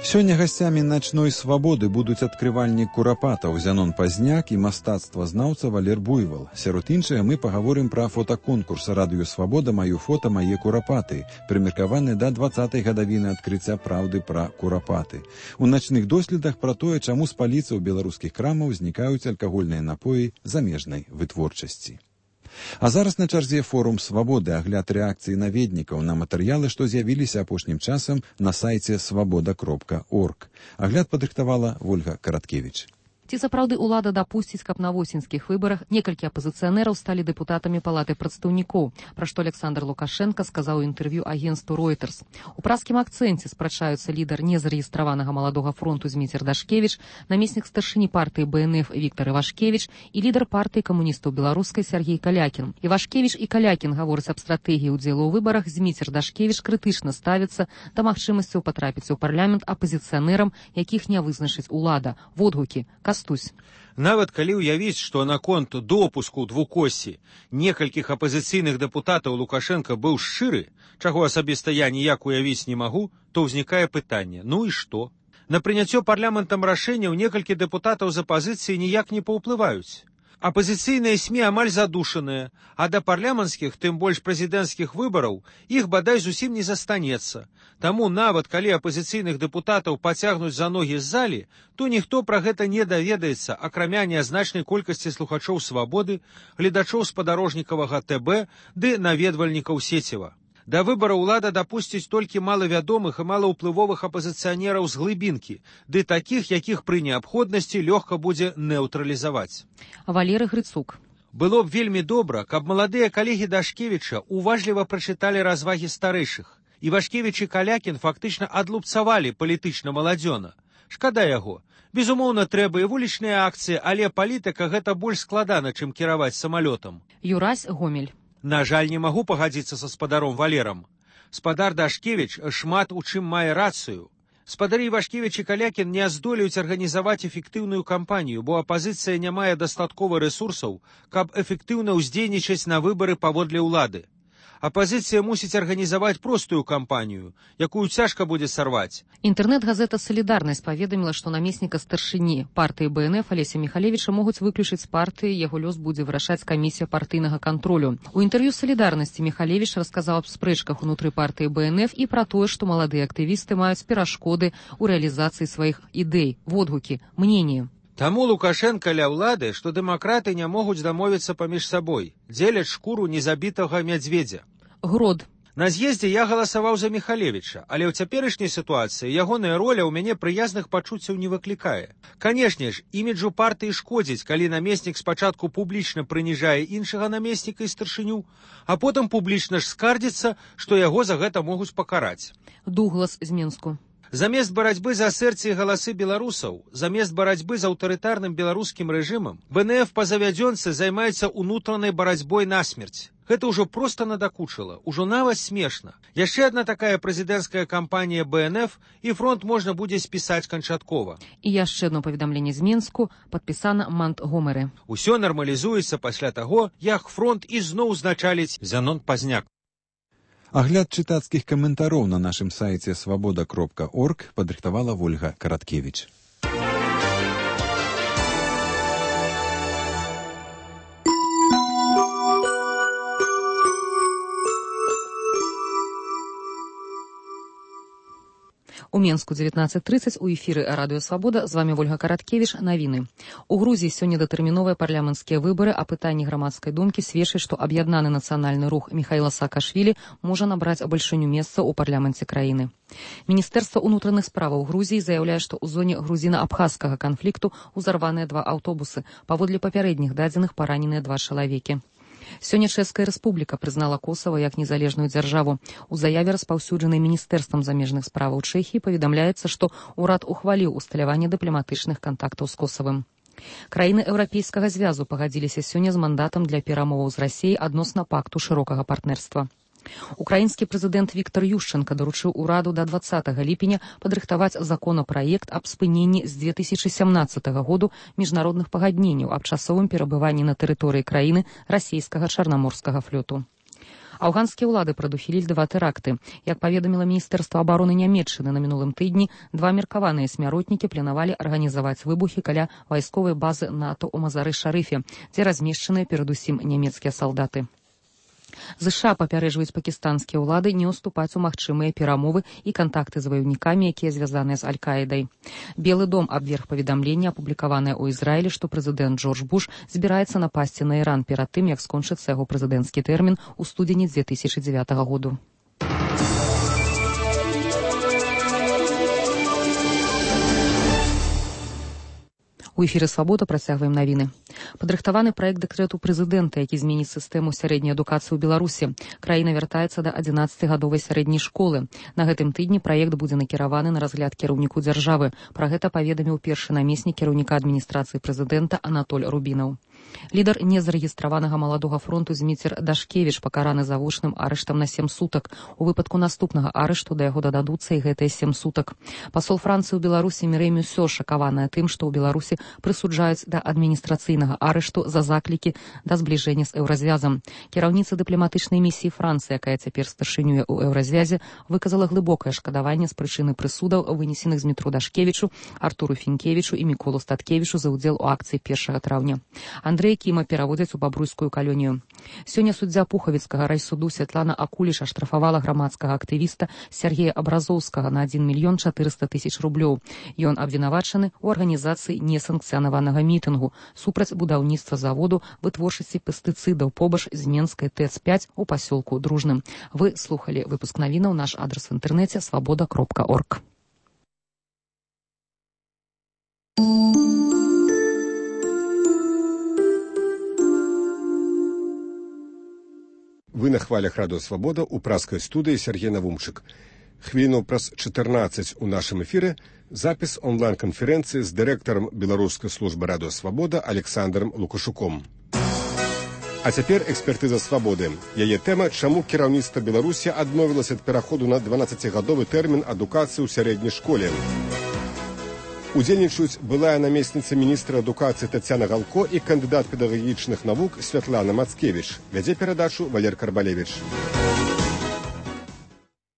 Сёння гасцямі начной свабоды будуць адкрывальнік курапатаў Зянон Пазняк і мастацтвазнаўца Валер Буйвал. Сярод іншага мы пагаворым пра фотаконкурс «Радыё Свабода. Маё фота, мае курапаты», прымеркаваны да дваццатай гадавіны адкрыцця праўды пра курапаты. У начных доследах пра тое, чаму з паліцаў беларускіх крамаў знікаюць алкагольныя напоі замежнай вытворчасці. А зараз на чарзе форум «Свабоды», агляд рэакцыі наведнікаў на матэрыялы, што з'явіліся апошнім часам на сайце свабода кропка орг. Агляд падрыхтавала Вольга Караткевіч. Ці сапраўды ўлада дапусціць, каб на восеньскіх выбарах некалькі апазіцыянераў сталі дэпутатамі палаты прадстаўнікоў, пра што Александр Лукашенко сказаў у інтэрв'ю агенцтву Reuters. У праскім акцэнце спрачаюцца лідар незарэгістраванага маладога фронту Зміцер Дашкевіч, намеснік старшыні партыі бэ эн эф Віктар Івашкевіч і лідар партыі камуністаў беларускай Сергей Калякін. Івашкевіч і Калякін гавораць аб стратэгіі ўдзелу ў выбарах. Зміцер Дашкевіч крытычна ставіцца да магчымасцяў патрапіць у парламент апазіцыянерам, якіх не вызначыць улада. Водгукі. Кастусь. Нават калі ўявіць, што наконт допуску двукоссі некалькіх апазіцыйных дэпутатаў Лукашенко быў шчыры, чаго асабіста я ніяк уявіць не магу, то ўзнікае пытанне: ну і што? На прыняццё парламентам рашэнняў некалькі дэпутатаў з апазіцыі ніяк не паўплываюць. Апазіцыйныя СМІ амаль задушаныя, а да парламенцкіх, тым больш прэзідэнцкіх выбараў, іх бадай зусім не застанецца. Таму нават калі апазіцыйных дэпутатаў пацягнуць за ногі з залі, то ніхто пра гэта не даведаецца, акрамя нязначнай колькасці слухачоў «Свабоды», гледачоў спадарожнікавага тэ бэ ды наведвальнікаў Сеціва. Да выбара ўлада дапусціць толькі малавядомых і малаўплывовых апазіцыянераў з глыбінкі, ды такіх, якіх пры неабходнасці лёгка будзе неўтралізаваць. Валерый Грыцук. Было б вельмі добра, каб маладыя калегі Дашкевіча уважліва прачыталі развагі старэйшых. Івашкевіч і Калякін фактычна адлупцавалі палітычна маладзёна. Шкада яго. Безумоўна, трэба і вулічныя акцыі, але палітыка гэта больш складана, чым кіраваць самалётам. Юрась Гомель. На жаль, не магу пагадзіцца са спадаром Валерам. Спадар Дашкевіч шмат у чым мае рацыю. Спадары Івашкевіч і Калякін не здолеюць арганізаваць эфектыўную кампанію, бо апазіцыя не мае дастаткова рэсурсаў, каб эфектыўна ўздзейнічаць на выбары паводле ўлады. Апазіцыя мусіць арганізаваць простую кампанію, якую цяжка будзе сарваць. Інтэрнэт-газета «Салідарнасць» паведаміла, што намесніка старшыні партыі бэ эн эф Алеся Міхалевіча могуць выключыць з партыі, яго лёс будзе вырашаць камісія партыйнага кантролю. У інтэрв'ю «Салідарнасці» Міхалевіч расказаў аб спрэчках унутры партыі бэ эн эф і пра тое, што маладыя актывісты маюць перашкоды ў рэалізацыі сваіх ідэй. Водгукі. Мненне. Таму Лукашенка ля ўлады, што дэмакраты не могуць дамовіцца паміж сабой, дзеляць шкуру незабітага мядзведзя. Грод. На з'ездзе я галасаваў за Міхалевіча, але ў цяперашняй сітуацыі ягоная роля ў мяне прыязных пачуццяў не выклікае. Канешне ж, іміджу партыі шкодзіць, калі намеснік спачатку публічна прыніжае іншага намесніка і старшыню, а потым публічна ж скардзіцца, што яго за гэта могуць пакараць. Дуглас з Мінску. Замест барацьбы за сэрцы і галасы беларусаў, замест барацьбы з аўтарытарным беларускім рэжымам, БНФ па завядзёнцы займаецца ўнутранай барацьбой насмерць. Гэта ўжо проста надакучыла, ужо нават смешна. Яшчэ адна такая прэзідэнцкая кампанія БНФ, і фронт можна будзе спісаць канчаткова. І яшчэ одно паведамленне з Мінску, падпісана Монтгомеры. Усё нармалізуецца пасля таго, як фронт ізноў узначаліць Зянон Пазняк. Агляд чытацкіх каментароў на нашым сайце свабода кропка орг падрыхтавала Вольга Караткевіч. У Менску дзевятнаццаць трыццаць у эфіры радыё Свабода. З вами Вольга Караткевіч. Навіны. У Грузіі сёння датэрміновыя парламенцкія выбары, а пытанні грамадскай думкі сведчаць, што аб'яднаны нацыянальны рух Міхаіла Саакашвілі можа набраць бальшыню месца ў парламенце краіны. Міністэрства ўнутраных справаў Грузіі заяўляе, што ў зоне грузіна-абхазскага канфлікту ўзарваныя два аўтобусы. Паводле папярэдніх дадзеных параненыя два чалавекі. Сёння Чэшская рэспубліка прызнала Косава як незалежную дзяржаву. У заяве, распаўсюджанай Міністэрствам замежных справаў Чэхіі, паведамляецца, што ўрад ухваліў усталяванне дыпламатычных кантактаў з Косавым. Краіны Еўрапейскага звязу пагадзіліся сёння з мандатам для перамоваў з Расіяй адносна пакту шырокага партнерства. Украінскі прэзідэнт Віктор Юшчэнка даручыў ураду да дваццатага ліпеня падрыхтаваць законапраект аб спыненні з две тысячы сямнаццатага году міжнародных пагадненняў аб часовым перабыванні на тэрыторыі краіны расійскага чарнаморскага флоту. Афганскія ўлады прадухілілі два тэракты. Як паведаміла Міністэрства абароны Нямецчыны на мінулым тыдні, два меркаваныя смяротнікі планавалі арганізаваць выбухі каля вайсковай базы НАТО ў Мазары-Шарыфе, дзе размешчаныя перадусім нямецкія салдаты. ЗША папярэджваюць пакістанскія ўлады не ўступаць у магчымыя перамовы і кантакты з ваяўнікамі, якія звязаныя з Аль-Каідай. Белы дом абверг паведамленне, апублікаванае ў Ізраілі, што прэзідэнт Джордж Буш збіраецца напасці на Іран перад тым, як скончыцца яго прэзідэнцкі тэрмін у студзені две тысячы дзевятага году. У эфіры «Свабода» працягваем навіны. Падрыхтаваны праект дэкрэту прэзідэнта, які зменіць сістэму сярэдняй адукацыі ў Беларусі. Краіна вяртаецца да адзінаццацігадовай сярэдняй школы. На гэтым тыдні праект будзе накіраваны на разгляд кіраўніку дзяржавы. Пра гэта паведаміў першы намеснік кіраўніка адміністрацыі прэзідэнта Анатоль Рубінаў. Лідар незарэгістраванага маладога фронту Зміцер Дашкевіч пакараны завочным арыштам на сем сутак. У выпадку наступнага арышту да яго дададуцца і гэтыя сем сутак. Пасол Францыі ў Беларусі Мірэй Мюсё шакаваная тым, што ў Беларусі прысуджаюць да адміністрацыйнага арышту за заклікі да збліжэння з еўразвязам. Кіраўніца дыпламатычнай місіі Францыі, якая цяпер старшынюе ў еўразвязе, выказала глыбокае шкадаванне з прычыны прысудаў, вынесеных Змітру Дашкевічу, Артуру Фінкевічу і Міколу Статкевічу за ўдзел у акцыі першага траўня. Андрэй Кіма пераводзяць у бабруйскую калонію. Сёння суддзя Пухавіцкага райсуду Святлана Акуліш аштрафавала грамадскага актывіста Сергея Абразоўскага на адзін мільён чатырыста тысяч рублёў. Ён абвінавачаны ў арганізацыі несанкцыянаванага мітынгу супраць будаўніцтва заводу вытворчасці пестыцыдаў побач з Менскай ТЭЦ пяць у пасёлку Дружным. Вы слухалі выпуск навінаў. Наш адрас в інтэрнэце свабода кропка орг. Вы на хвалях радыё Свабода ў праскай студыі Сергей Навумчык. Хвіліну праз чатырнаццаць у нашым эфіры запіс онлайн-канферэнцыі з дырэктарам беларускай службы радыё Свабода Александром Лукашуком. А цяпер экспертыза Свабоды. Яе тэма, чаму кіраўніцтва Беларусі адмовілася ад пераходу на дванаццацігадовы тэрмін адукацыі ў сярэдняй школе. Удзельнічаюць былая намесніца міністра адукацыі Тацяна Галко і кандыдат педагагічных навук Святлана Мацкевіч. Вядзе перадачу Валер Карбалевіч.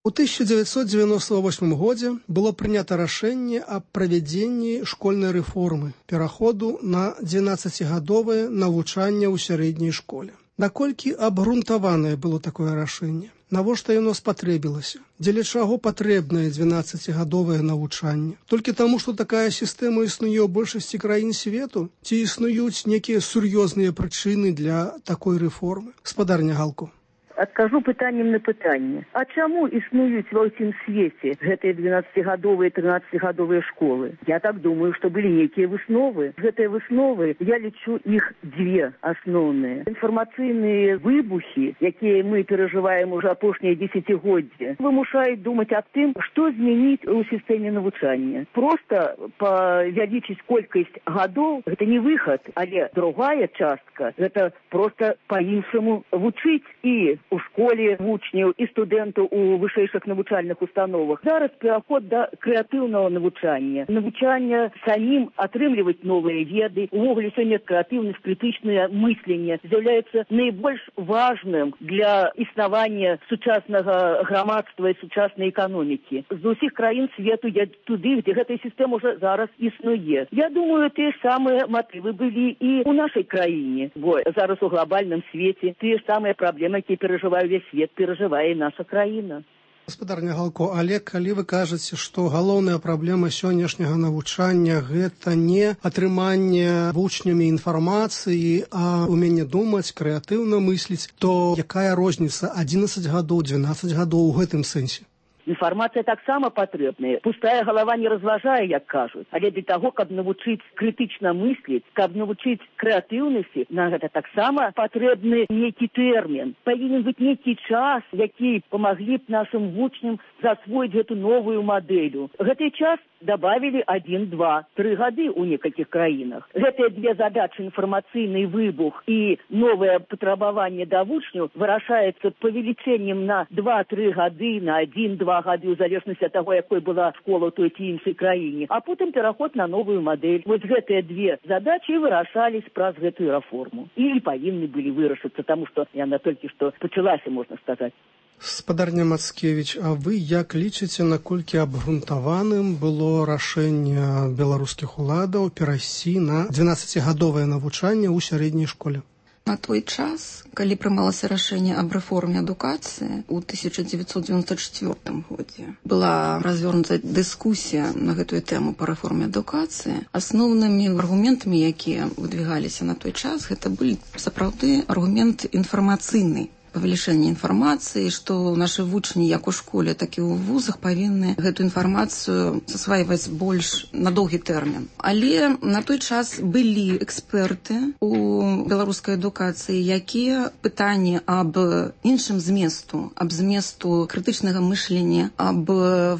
У тысяча дзевяцьсот дзевяносто восьмым годзе было прынята рашэнне аб правядзенні школьнай рэформы, пераходу на дванаццацігадовае навучанне ў сярэдняй школе. Наколькі абгрунтаванае было такое рашэнне? Навошта яно спатрэбілася? Дзеля чаго патрэбнае дванаццацігадовае навучанне? Толькі таму, што такая сістэма існуе ў большасці краін свету? Ці існуюць некія сур'ёзныя прычыны для такой рэформы? Спадарня Галко. адкажу пытаннем на пытанне. А чаму існуюць ва ўсім свеце гэтыя двенаццацігадовыя, трынаццацігадовыя школы? Я так думаю, што былі нейкія высновы. Гэтыя высновы, я лічу іх дзве асноўныя. Інфармацыйныя выбухі, якія мы перажываем уже апошнія дзесяцігоддзі, вымушаюць думаць аб тым, што змяніць у сістэме навучання. Проста павялічыць колькасць гадоў, гэта не выхад, але другая частка, гэта проста па-іншаму вучыць і у школе вучняў, і студэнтаў у вышэйшых навучальных установах. Зараз пераход да крэатыўнага навучання. Навучання самім атрымліваць новыя веды. Увогуле сёння крэатыўнасць, крытычнае мысленне з'яўляецца найбольш важным для існавання сучаснага грамадства і сучаснай эканомікі. З усіх краін свету я туды, дзе гэтая сістэма уже зараз існуе. Я думаю, тыя ж самыя матывы былі і ў нашай краіне, бо зараз у глобальным свеце тыя ж самыя праблемы, якія перажывае ўвесь свет, перажывае і наша краіна. Гаспадарня Галко, але калі вы кажаце, што галоўная праблема сённяшняга навучання гэта не атрыманне вучнямі інфармацыі, а ўменне думаць, крэатыўна мысліць, то якая розніца адзінаццаць гадоў, дванаццаць гадоў у гэтым сэнсе? Інфармацыя таксама патрэбная. Пустая галава не разважае, як кажуць. Але для таго, каб навучыць крытычна мысліць, каб навучыць крэатыўнасці, на гэта таксама патрэбны нейкі тэрмін. Павінен быць нейкі час, які памаглі б нашым вучням засвоіць гэту новую мадэлю. Гэты час добавили один, два, три гады у некалькіх краінах. Гэтыя две задачы, інфармацыйны выбух і новае патрабаванне да вучняў, вырашаецца павелічэннем на два-тры гады, на один-два гады, у залежнасці ад таго, якой была школа ў той ці іншай краіне, а потым пераход на новую мадэль. Вось гэтыя две задачы вырашались праз гэтую рэформу. І павінны былі вырашыцца, таму што яна толькі што пачалася, можна сказаць. Гаспадарня Мацкевіч, а вы як лічыце, наколькі абгрунтаваным было рашэнне беларускіх уладаў перайсці на дванаццацігадовае навучанне ў сярэдняй школе? На той час, калі прымалася рашэнне аб рэформе адукацыі ў тысяча дзевяцьсот дзевяносто чвёртым годзе, была развернута дыскусія на гэтую тэму па рэформе адукацыі. Асноўнымі аргументамі, якія выдвигаліся на той час, гэта былі сапраўды аргумент інфармацыйны. Павелічэнне інфармацыі, што нашы вучні як у школе, так і ў вузах павінны гэту інфармацыю засвайваць больш на доўгі тэрмін. Але на той час былі эксперты ў беларускай адукацыі, якія пытанні аб іншым зместу, аб зместу крытычнага мышлення, аб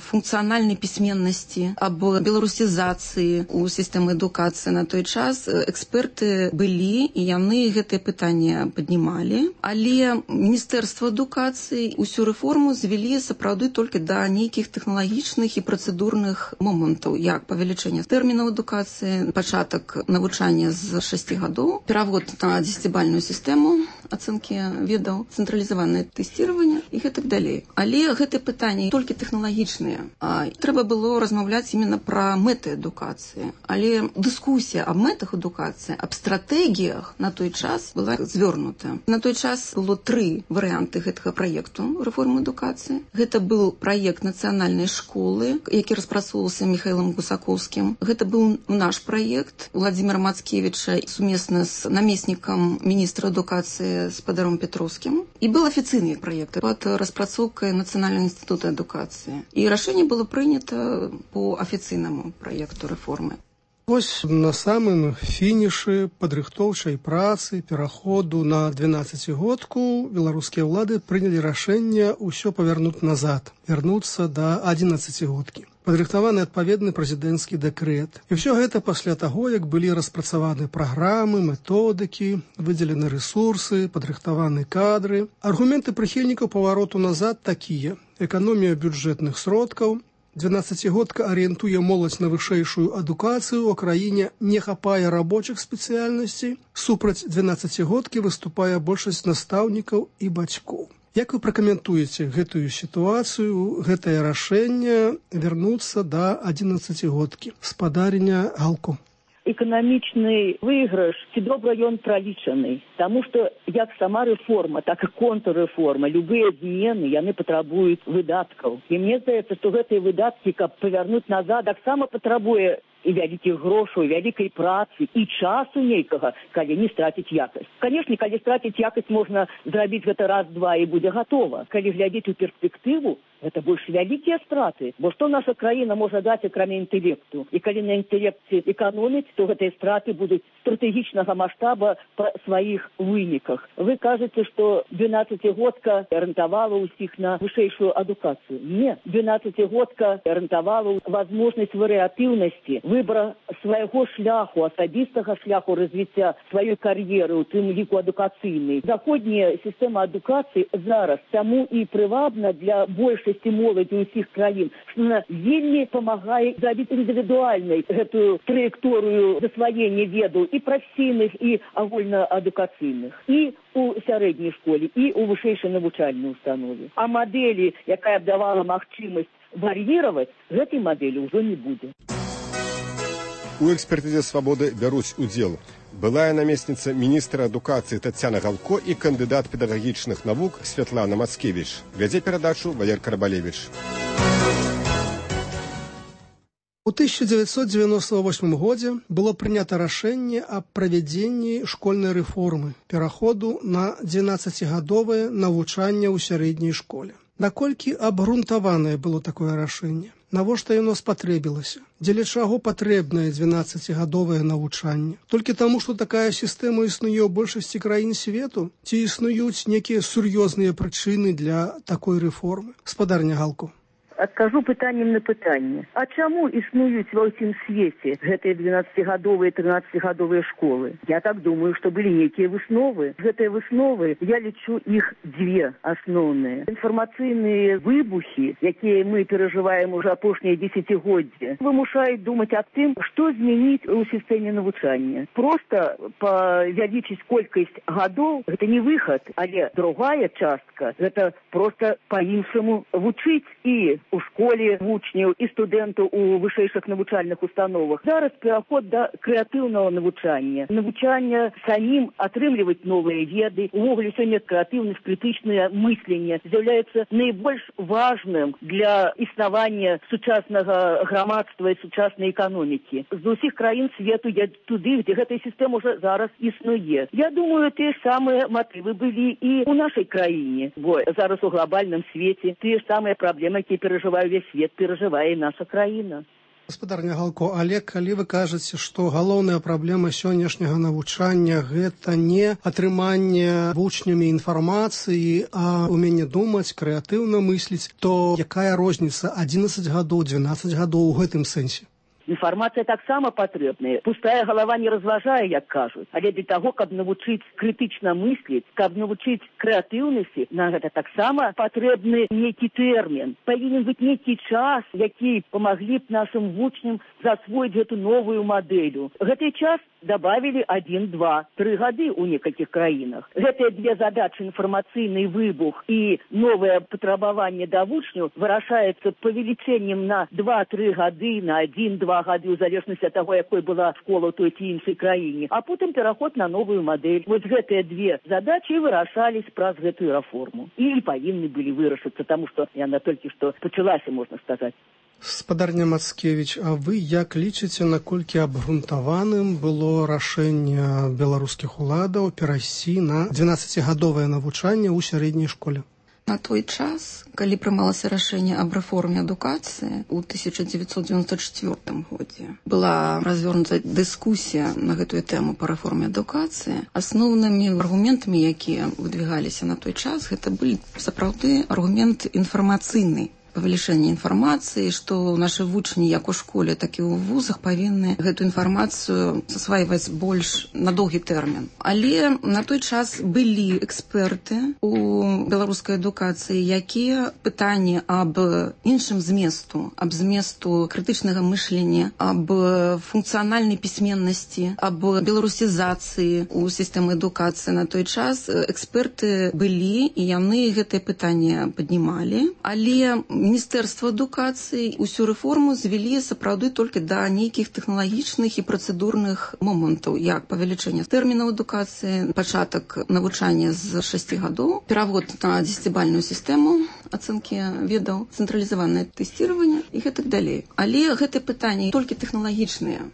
функцыянальнай пісьменнасці, аб беларусізацыі ў сістэмы адукацыі на той час эксперты былі, і яны гэтыя пытанні паднімалі, але Міністэрства адукацыі усю рэформу звялі сапраўды толькі да нейкіх тэхналагічных і працэдурных момантаў, як павелічэнне тэрмінаў адукацыі, пачатак навучання з шасці гадоў, перавод на дзесяцібальную сістэму ацэнкі ведаў, цэнтралізаванае тэсціраванне і гэтак далей. Але гэтыя пытанні толькі тэхналагічныя. А трэба было размаўляць именно пра мэты адукацыі. Але дыскусія аб мэтах адукацыі, аб стратэгіях на той час была звёрнута. На той час было тры варыянты гэтага праекту рэформы адукацыі. Гэта быў праект нацыянальнай школы, які распрацоўваўся Міхаілам Гусакоўскім. Гэта быў наш праект Владзіміра Мацкевіча сумесна з намеснікам міністра адукацыі спадаром Петроўскім. І быў афіцыйны праект пад распрацоўкай Нацыянальнага інстытута адукацыі. І рашэнне было прынята по афіцыйнаму праекту рэформы. Вось на самым фінішы падрыхтоўчай працы пераходу на дванаццацігодку беларускія ўлады прынялі рашэнне ўсё павярнуць назад, вярнуцца да адзінаццацігодкі. Падрыхтаваны адпаведны прэзідэнцкі дэкрэт. І ўсё гэта пасля таго, як былі распрацаваны праграмы, методыкі, выдзелены рэсурсы, падрыхтаваны кадры. Аргументы прыхільнікаў павароту назад такія: эканомія бюджэтных сродкаў, дванаццацігодка арыентуе моладзь на вышэйшую адукацыю, у краіне не хапае рабочых спецыяльнасцей, супраць дванаццацігодкі выступае большасць настаўнікаў і бацькоў. Як вы пракаментуеце гэтую сітуацыю, гэтае рашэнне вярнуцца да адзінаццацігодкі? Спадарня Галко. эканамічны выйгрыш ці добра ён пралічаны. Таму што як сама рэформа, так і контррэформа, любыя змены, яны патрабуюць выдаткаў. І мне здаецца, што гэтыя выдаткі, каб павярнуць назад, таксама патрабуе і вялікіх грошаў, вялікай працы, і часу нейкага, калі не страціць якасць. Канешне, калі страціць якасць, можна зрабіць гэта раз-два і будзе гатова. Калі глядзець у перспектыву, гэта больш вялікія страты. Бо што наша краіна можа даць, акрамя інтэлекту? І калі на інтэлекце эканоміць, то гэтыя страты будуць стратэгічнага маштаба па сваіх выніках. Вы кажаце, што двенаццацігодка арыентавала ўсіх на вышэйшую адукацыю. Не, двенаццацігодка арыентавала возможнасць варыятыўнасці, выбора свайго шляху, асабістага шляху развіцця сваёй кар'еры, у тым ліку адукацыйнай. Заходняя сістэма адукацыі зараз таму і прывабна для большасці моладзі ўсіх краін, што она вельмі памагае зрабіць індывідуальнай гэтую траекторыю засваення ведаў і прафесійных, і агульнаадукацыйных, і у сярэдняй школе, і у вышэйшай навучальнай установе. А мадэлі, якая б давала магчымасць вар'іраваць, гэтай мадэлі ўжо не будзе. У экспертызе «Свабоды» бяруць удзел былая намесніца міністра адукацыі Тацяна Галко і кандыдат педагагічных навук Святлана Мацкевіч. Вядзе перадачу Валер Карбалевіч. У тысяча девятьсот девяносто восьмым годзе было прынята рашэнне аб правядзенні школьнай рэформы, пераходу на двенаццацігадовае навучанне ў сярэдняй школе. Наколькі абгрунтаванае было такое рашэнне? Навошта яно спатрэбілася? Дзеля чаго патрэбнае двенаццацігадовае навучанне? Толькі таму, што такая сістэма існуе ў большасці краін свету? Ці існуюць некія сур'ёзныя прычыны для такой рэформы? Спадарня Галко. Адкажу пытаннем на пытанне. А чаму існуюць ва ўсім свеце гэтыя двенаццацігадовыя і трынаццацігадовыя школы? Я так думаю, што былі нейкія высновы. Гэтыя высновы, я лічу іх дзве асноўныя. Інфармацыйныя выбухі, якія мы перажываем уже апошнія дзесяцігоддзі, вымушаюць думаць аб тым, што змяніць у сістэме навучання. Проста павялічыць колькасць гадоў, гэта не выхад, але другая частка, гэта проста па-іншаму вучыць і у школе вучняў і студэнтаў у вышэйшых навучальных установах. Зараз пераход да крэатыўнага навучання. Навучання самім атрымліваць новыя веды. Увогуле сёння крэатыўнасць, крытычнае мысленне з'яўляецца найбольш важным для існавання сучаснага грамадства і сучаснай эканомікі. З усіх краін свету я туды, дзе гэтая сістэма ўжо зараз існуе. Я думаю, тыя ж самыя матывы былі і ў нашай краіне, бо зараз у глобальным свеце тыя ж самыя праблемы, якія перажывае весь свет, перажывае і наша краіна. Гаспадарня Галко, але калі вы кажаце, што галоўная праблема сённяшняга навучання гэта не атрыманне вучнямі інфармацыі, а ўменне думаць, крэатыўна мысліць, то якая розніца адзінаццаць гадоў, двенаццаць гадоў у гэтым сэнсе? Інфармацыя таксама патрэбная. Пустая галава не разважае, як кажуць. Але для таго, каб навучыць крытычна мысліць, каб навучыць крэатыўнасці, на гэта таксама патрэбны нейкі тэрмін. Павінен быць нейкі час, які памаглі б нашым вучням засвоіць гэту новую мадэлю. Гэты час добавили один, два, три гады у некалькіх краінах. Гэтыя две задачы, інфармацыйны выбух і новае патрабаванне да вучняў, вырашаецца павелічэннем на два-тры гады, на один-два гады, у залежнасці ад таго, якой была школа ў той ці іншай краіне, а потым пераход на новую мадэль. Вось гэтыя две задачы вырашались праз гэтую рэформу. І павінны былі вырашыцца, таму што яна толькі што пачалася, можна сказаць. Спадарня Мацкевіч, а вы як лічыце, наколькі абгрунтаваным было рашэнне беларускіх уладаў перайсці на двенаццацігадовае навучанне ў сярэдняй школе? На той час, калі прымалася рашэнне аб рэформе адукацыі ў тысяча дзевяцьсот дзевяносто чвёртым годзе, была развернута дыскусія на гэтую тэму па рэформе адукацыі. Асноўнымі аргументамі, якія выдвигаліся на той час, гэта былі сапраўды аргумент інфармацыйны. Павелічэнне інфармацыі, што нашы вучні як у школе, так і ў вузах павінны гэту інфармацыю засвайваць больш на доўгі тэрмін. Але на той час былі эксперты у беларускай адукацыі, якія пытанні аб іншым зместу, аб зместу крытычнага мышлення, аб функцыянальнай пісьменнасці, аб беларусізацыі ў сістэмы адукацыі на той час эксперты былі, і яны гэтае пытанне паднімалі. Але Міністэрства адукацыі усю рэформу звялі сапраўды толькі да нейкіх тэхналагічных і працэдурных момантаў, як павелічэнне тэрмінаў адукацыі, пачатак навучання з шасці гадоў, перавод на дзесяцібальную сістэму ацэнкі ведаў, цэнтралізаванае тэсціраванне і гэтак далей. Але гэтыя пытанні толькі тэхналагічныя.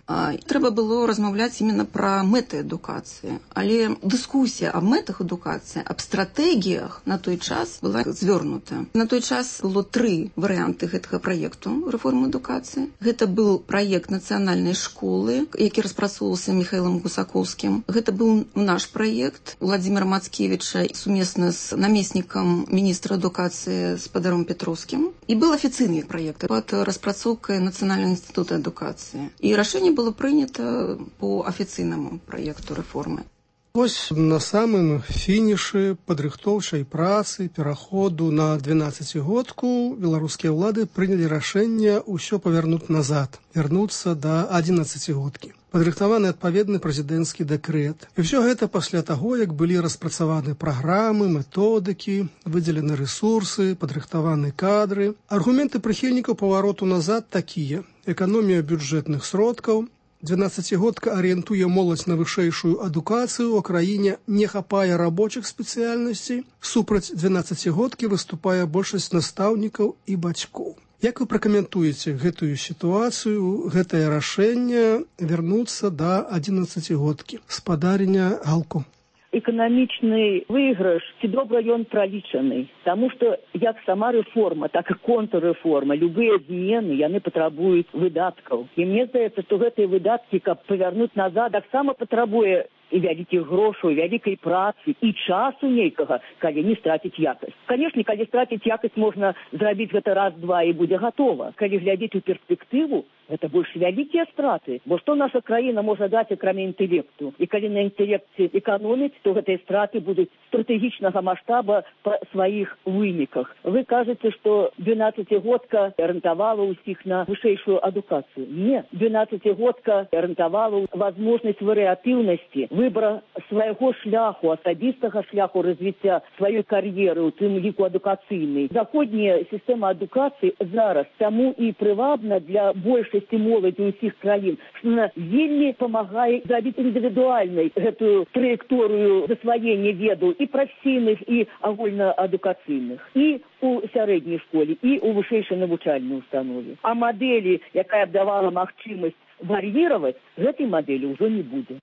Трэба было размаўляць именно пра мэты адукацыі. Але дыскусія аб мэтах адукацыі, аб стратэгіях на той час была звёрнута. На той час было тры варыянты гэтага праекту рэформы адукацыі. Гэта быў праект нацыянальнай школы, які распрацоўваўся Михаилом Гусаковскім. Гэта быў наш праект Владимира Мацкевича сумесна з намеснікам міністра адукацыі спадаром Петровскім. І был афіцыйны праект пад распрацоўкай Нацыянальнага інстытута адукацыі. І рашэнне было прынята по афіцыйнаму праекту рэформы. Вось на самым фінішы падрыхтоўчай працы пераходу на двенаццацігодку беларускія ўлады прынялі рашэнне ўсё павярнуць назад, вярнуцца да адзінаццацігодкі. Падрыхтаваны адпаведны прэзідэнцкі дэкрэт. І ўсё гэта пасля таго, як былі распрацаваны праграмы, методыкі, выдзелены рэсурсы, падрыхтаваны кадры. Аргументы прыхільнікаў павароту назад такія: эканомія бюджэтных сродкаў, двенаццацігодка арыентуе моладзь на вышэйшую адукацыю, у краіне не хапае рабочых спецыяльнасцей, супраць двенаццацігодкі выступае большасць настаўнікаў і бацькоў. Як вы пракаментуеце гэтую сітуацыю, гэтае рашэнне вярнуцца да адзінаццацігодкі? Спадарня Галко. Эканамічны выйгрыш ці добра ён пралічаны, таму што як сама рэформа, так і контррэформа, любыя змены яны патрабуюць выдаткаў. І мне здаецца, што гэтыя выдаткі, каб павярнуць назад, таксама патрабуе і вялікіх грошаў, вялікай працы, і часу нейкага, калі не страціць якасць. Канешне, калі страціць якасць, можна зрабіць гэта раз-два і будзе гатова. Калі глядзець у перспектыву, гэта больш вялікія страты. Бо што наша краіна можа даць, акрамя інтэлекту? І калі на інтэлекце эканоміць, то гэтыя страты будуць стратэгічнага маштаба па сваіх выніках. Вы кажаце, што двенаццацігодка арыентавала ўсіх на вышэйшую адукацыю. Не, двенаццацігодка арыентавала возможнасць варыятыўнасці, выбора свайго шляху, асабістага шляху развіцця сваёй кар'еры, у тым ліку адукацыйнай. Заходняя сістэма адукацыі зараз таму і прывабна для большасці моладзі ўсіх краін, што она вельмі памагае зрабіць індывідуальнай гэтую траекторыю засваення ведаў і прафесійных, і агульнаадукацыйных, і у сярэдняй школе, і у вышэйшай навучальнай установе. А мадэлі, якая б давала магчымасць вар'іраваць, гэтай мадэлі ўжо не будзе.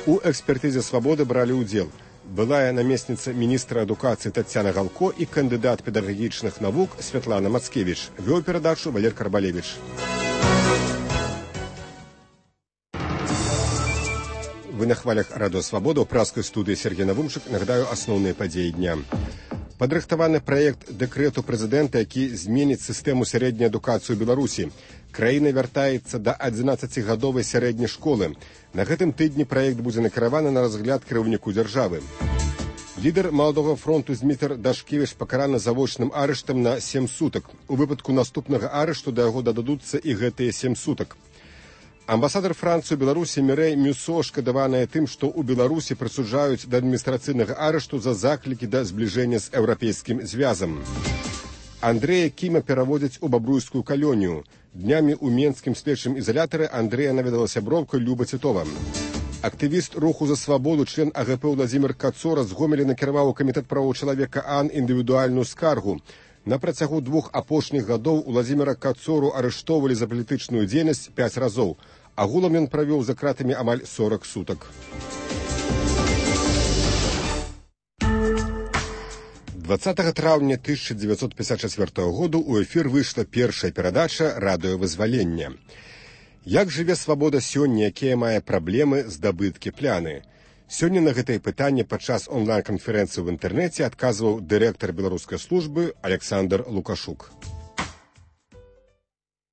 У экспертызе «Свабоды» бралі ўдзел былая намесніца міністра адукацыі Таццяна Галко і кандыдат педагагічных навук Святлана Мацкевіч. Вёў перадачу Валер Карбалевич. Вы на хвалях радыё «Свабода», ў праскай студыі Сергей Навумчык. Нагадаю асноўныя падзеі дня. Падрыхтаваны праект дэкрэту прэзідэнта, які зменіць сістэму сярэдняй адукацыі ў Беларусі. Краіна вяртаецца да адзінаццацігадовай сярэдняй школы. На гэтым тыдні праект будзе накіраваны на разгляд кіраўніку дзяржавы. Лідар Маладога фронту Змітр Дашкевіч пакараны завочным арыштам на сем сутак. У выпадку наступнага арышту да яго дададуцца і гэтыя сем сутак. Амбасадар Францыі ў Беларусі Мірэй Мюсо шкадаваная тым, што ў Беларусі прысуджаюць да адміністрацыйнага арышту за заклікі да збліжэння з еўрапейскім звязам. Андрэя Кіма пераводзяць у бабруйскую калонію. Днямі ў менскім следчым ізалятары Андрэя наведала сяброўка Люба Цітова. Актывіст руху за свабоду, член А Г П Владзімір Кацора з Гомеля накіраваў у камітэт правоў чалавека АН індывідуальную скаргу. На працягу двух апошніх гадоў Владзіміра Кацору арыштоўвалі за палітычную дзейнасць пяць разоў. Агулам ён правёў за кратамі амаль сорак сутак. дваццатага траўня тысяча дзевяцьсот пятьдесят четвёртого году ў эфір выйшла першая перадача «Радыёвызвалення». Як жыве свабода сёння, якія мае праблемы, здабыткі, пляны? Сёння на гэтае пытанне падчас онлайн-канферэнцыі ў інтэрнэце адказваў дырэктар беларускай службы Александр Лукашук.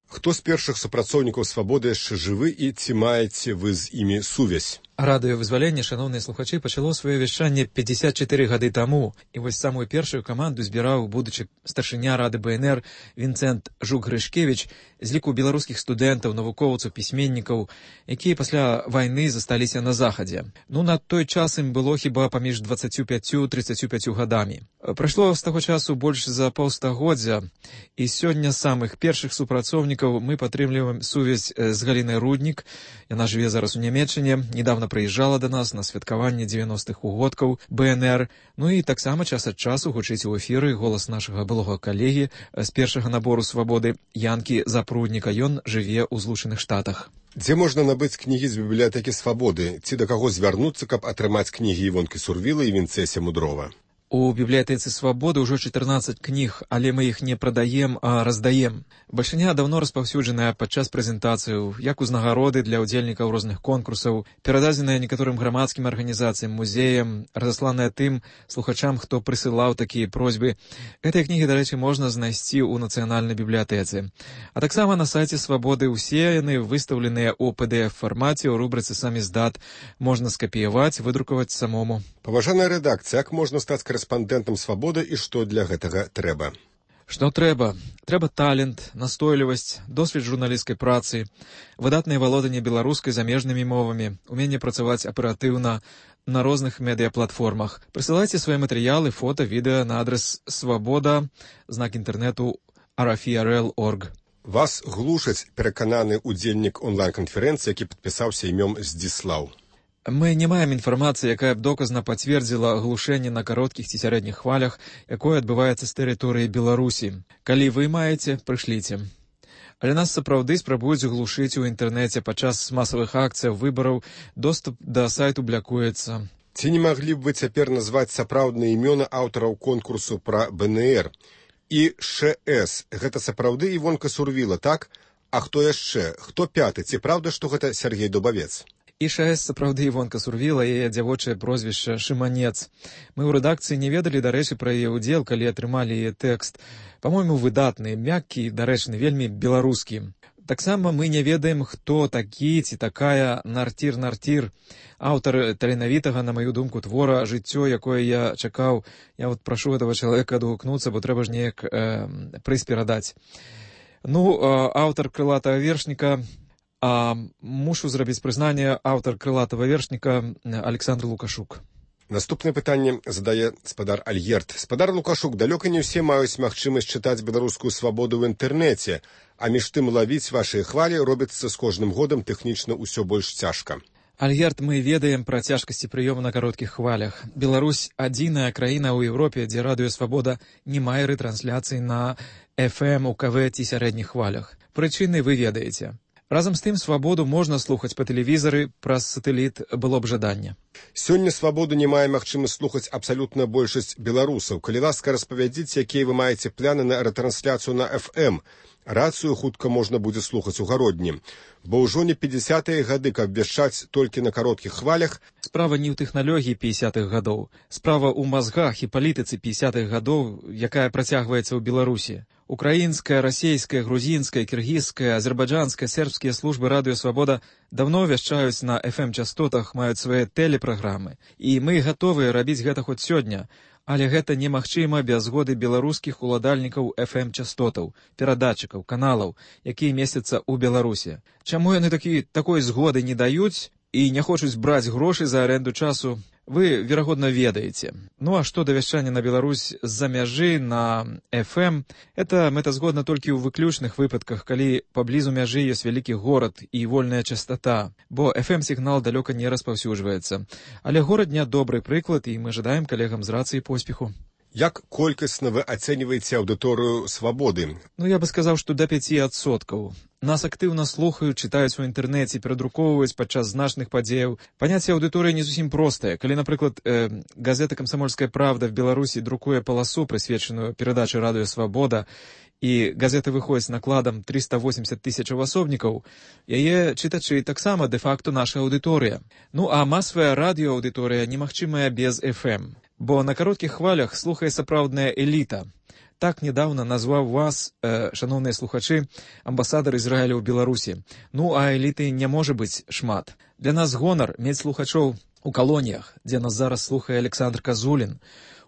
Хто з першых супрацоўнікаў свабоды яшчэ жывы і ці маеце вы з імі сувязь? Радыёвызваленне, шановныя слухачы, пачало сваё вяшчанне пятьдесят четыре гады таму, і вось самую першую каманду збіраў будучы старшыня рады БНР Вінцэнт Жук-Грышкевіч з ліку беларускіх студэнтаў, навукоўцаў, пісьменнікаў, якія пасля вайны засталіся на захадзе. Ну, на той час ім было хіба паміж дваццаццю пяццю трыццаццю пяццю гадамі. Прайшло з таго часу больш за паўстагоддзя, і сёння з самых першых супрацоўнікаў мы падтрымліваем сувязь з Галінай Руднік. Яна жыве зараз у Нямецчыне, недавно прыязджала да нас на святкаванне дзевяностых угодкаў БНР, ну і таксама час ад часу гучыць у эфіры голас нашага былога калегі з першага набору «Свабоды» Янкі Запрудніка. Ён жыве ў Злучаных Штатах. Дзе можна набыць кнігі з бібліятэкі «Свабоды»? Ці да каго звярнуцца, каб атрымаць кнігі Івонкі Сурвіла і Вінцэся Мудрова? У бібліятэцы «Свабоды» ўжо чатырнаццаць кніг, але мы іх не прадаем, а раздаем. Бальшыня даўно распаўсюджаная падчас прэзентацыяў, як узнагароды для ўдзельнікаў розных конкурсаў, перададзеная некаторым грамадскім арганізацыям, музеям, разасланая тым слухачам, хто прысылаў такія просьбы. Гэтыя кнігі, дарэчы, можна знайсці ў нацыянальнай бібліятэцы. А таксама на сайце «Свабоды» усе яны выстаўленыя ў пэ дэ эф-фармаце, у рубрыцы «Саміздат». Можна скапіяваць, выдрукаваць самому. Паважаная рэдакцыя, як можна стаць корэспандэнтам «Свабоды» і што для гэтага трэба? Што трэба? Трэба талент, настойлівасць, досвед журналісцкай працы, выдатнае валоданне беларускай замежнымі мовамі, уменне працаваць аператыўна на розных медыяплатформах. Прысылайце свае матэрыялы, фота, відэа на адрес свабода, знак інтэрнэту ар эф і ар эл точка орг. Вас глушаць перакананы ўдзельнік онлайн-канферэнцыі, які падпісаўся імём Здзіслаў. Мы не маем інфармацыі, якая б доказна пацвердзіла глушэнне на кароткіх ці сярэдніх хвалях, якое адбываецца з тэрыторыі Беларусі. Калі вы маеце, прышліце. Але нас сапраўды спрабуюць глушыць у інтэрнэце падчас масавых акцыяў, выбараў, доступ да сайту блякуецца. Ці не маглі б вы цяпер назваць сапраўдныя імёны аўтараў конкурсу пра БНР? І ШС, гэта сапраўды Івонка Сурвіла, так? А хто яшчэ? Хто пяты? Ці праўда, што гэта Сергей Дубавец? І ШС сапраўды Івонка Сурвіла, яе дзявочае прозвішча Шыманец. Мы ў рэдакцыі не ведалі, дарэчы, пра яе ўдзел, калі атрымалі яе тэкст. Па-мойму, выдатны, мяккі, дарэчны, вельмі беларускі. Таксама мы не ведаем, хто такі ці такая Нартір-Нартір, аўтар таленавітага, на маю думку, твора «Жыццё», якое я чакаў. Я вот прашу гэтага чалавека адгукнуцца, бо трэба ж неяк э, прыз перадаць. Ну, э, аўтар крылатага вершніка, а мушу зрабіць прызнанне, аўтар крылатага вершніка Александр Лукашук. Наступнае пытанне задае спадар Альгерт. Спадар Лукашук, далёка не ўсе маюць магчымасць чытаць беларускую «Свабоду» ў інтэрнэце, а між тым лавіць вашыя хвалі робіцца з кожным годам тэхнічна ўсё больш цяжка. Альгерт, мы ведаем пра цяжкасці прыёму на кароткіх хвалях. Беларусь — адзіная краіна ў Еўропе, дзе радыё «Свабода» не мае рэтрансляцый на эф эм, у ка вэ ці сярэдніх хвалях. Прычыны вы ведаеце. Разам з тым, «Свабоду» можна слухаць па тэлевізары, праз сатэліт было б жаданне. Сёння «Свабоду» не мае магчымасць слухаць абсалютна большасць беларусаў. Калі ласка, распавядзіце, якія вы маеце планы на рэтрансляцыю на эф эм. Рацыю хутка можна будзе слухаць у гародні. Бо ўжо не пятьдесятыя гады, каб вяшчаць толькі на кароткіх хвалях. Справа не ў тэхналогіі пятьдесятых гадоў. Справа ў мазгах і палітыцы пятьдесятых гадоў, якая працягваецца ў Беларусі. Украінская, расейская, грузінская, кіргізская, азербайджанская, сербскія службы радыё «Свабода» даўно вяшчаюць на эф эм-частотах, маюць свае тэлепраграмы. І мы гатовыя рабіць гэта хоць сёння. Але гэта немагчыма без згоды беларускіх уладальнікаў эф эм-частотаў, перадатчыкаў, каналаў, якія месяцца ў Беларусі. Чаму яны такі, такой згоды не даюць і не хочуць браць грошы за аренду часу, вы, верагодна, ведаеце. Ну а што да вяшчання на Беларусь з-за мяжы на эф эм, это мэтазгодна толькі ў выключных выпадках, калі паблізу мяжы ёсць вялікі горад і вольная частата, бо эф эм-сігнал далёка не распаўсюджваецца. Але горад не добры прыклад, і мы жадаем калегам з рацыі поспеху. Як колькасна вы ацэньваеце аўдыторыю «Свабоды»? Ну, я бы сказаў, што да пяці адсоткаў. Нас актыўна слухаюць, чытаюць у інтэрнэце, перадрукоўваюць падчас значных падзеяў. Паняцце аўдыторыі не зусім простае. Калі, напрыклад, э, газета «Камсамольская правда» в Беларусі друкуе паласу, прысвечаную перадачы радыё «Свабода», і газета выходзіць накладам триста восемьдесят тысячаў асобнікаў, яе чытачы таксама дэ-факту наша аўдыторыя. Ну, а масавая радыёаўдыторыя немагчымая без эф эм. Бо на кароткіх хвалях слухае сапраўдная эліта. Так недавно назваў вас, э, шановныя слухачы, амбасадар Ізраіля ў Беларусі. Ну, а эліты не можа быць шмат. Для нас гонар мець слухачоў у калоніях, дзе нас зараз слухае Александр Казулін,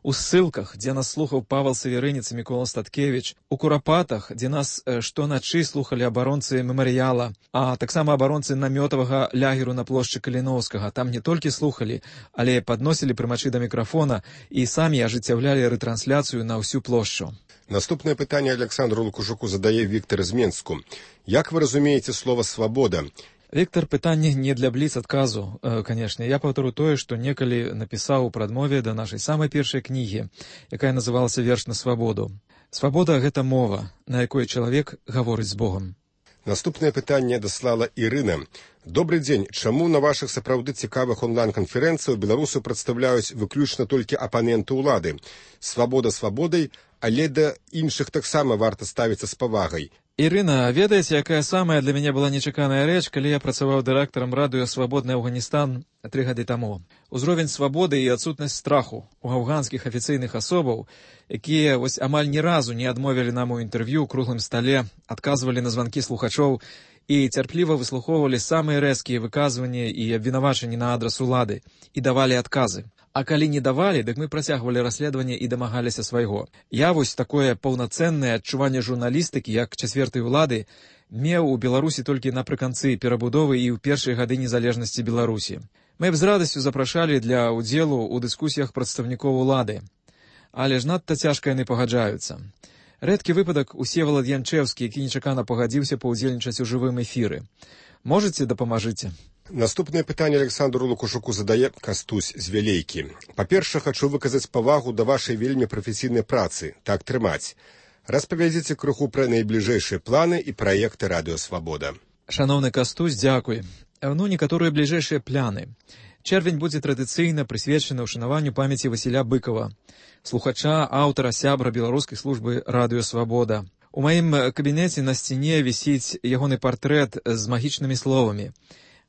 у ссылках, дзе нас слухаў Павел Саверынец і Мікола Статкевіч, у Курапатах, дзе нас штоначы слухалі абаронцы мемарыяла, а таксама абаронцы намётавага лягеру на плошчы Каліноўскага. Там не толькі слухалі, але падносілі прымачы да мікрафона і самі ажыццяўлялі рэтрансляцыю на ўсю плошчу. Наступнае пытанне Александру Лукашуку задае Віктор з Менску. Як вы разумееце слова «свабода»? Віктор, пытанне не для бліц-адказу, канешне. Я паўтару тое, што некалі напісаў у прадмове да нашай самай першай кнігі, якая называлася «Верш на свабоду». Свабода – гэта мова, на якой чалавек гаворыць з Богам. Наступнае пытанне даслала Ірына. Добрый дзень. Чаму на вашых сапраўды цікавых онлайн-канферэнцыях беларусы прадстаўляюць выключна толькі апаненты ўлады? Свабода свабодай, але да іншых таксама варта ставіцца з павагай. Ірына, ведаеце, якая самая для мяне была нечаканая рэч, калі я працаваў дырэктарам радыё «Свабодны Афганістан» тры гады таму. Узровень свабоды і адсутнасць страху у афганскіх афіцыйных асобаў, якія вось амаль ні разу не адмовілі нам у інтэрв'ю ў круглым стале, адказвалі на званкі слухачоў і цярпліва выслухоўвалі самыя рэзкія выказванні і абвінавачанні на адрас улады і давалі адказы. А калі не давалі, дык мы працягвалі расследаванне і дамагаліся свайго. Я вось такое паўнацэннае адчуванне журналістыкі, як чацвертай улады, меў у Беларусі толькі напрыканцы перабудовы і ў першыя гады незалежнасці Беларусі. Мы б з радасцю запрашалі для ўдзелу ў дыскусіях прадстаўнікоў улады. Але ж надта цяжка яны пагаджаюцца. Рэдкі выпадак Усевалад Янчэўскі, які нечакана пагадзіўся паўдзельнічаць у жывым эфіры. Можаце, дапамажыце? Наступнае пытанне Александру Лукашуку задае Кастусь з Вялейкі. Па-першае, хачу выказаць павагу да вашай вельмі прафесійнай працы. Так трымаць. Распавядзіце крыху пра найбліжэйшыя планы і праекты радыё «Свабода». Шаноўны Кастусь, дзякуй. Ну, некаторыя бліжэйшыя пляны. Чэрвень будзе традыцыйна прысвечаны ўшанаванню памяці Васіля Быкова, слухача, аўтара, сябра беларускай службы радыё «Свабода». У маім кабінеце на сцяне вісіць ягоны партрэт з магічнымі словамі.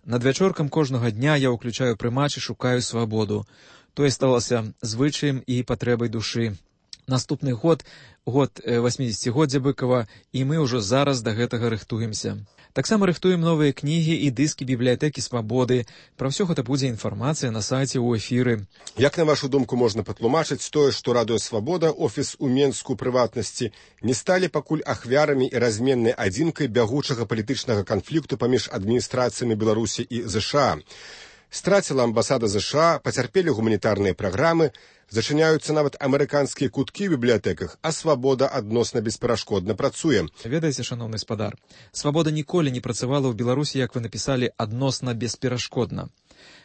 Надвячоркам кожнага дня я ўключаю прымач і шукаю свабоду. Тое сталася звычаем і патрэбай душы. Наступны год, год васьмідзесяцігоддзя Быкова, і мы ўжо зараз да гэтага рыхтуемся. Таксама рыхтуем новыя кнігі і дыскі бібліятэкі «Свабоды». Пра ўсё гэта будзе інфармацыя на сайце ў эфіры. Як, на вашу думку, можна патлумачыць тое, што радыё «Свабода», офіс у Менску прыватнасці, не сталі пакуль ахвярамі і разменнай адзінкай бягучага палітычнага канфлікту паміж адміністрацыямі Беларусі і ЗША? Страціла амбасада ЗША, пацярпелі гуманітарныя праграмы, зачыняюцца нават амерыканскія куткі ў бібліятэках, а «Свабода» адносна бесперашкодна працуе. Ведаеце, шаноўны спадар, «Свабода» ніколі не працавала ў Беларусі, як вы напісалі, адносна бесперашкодна.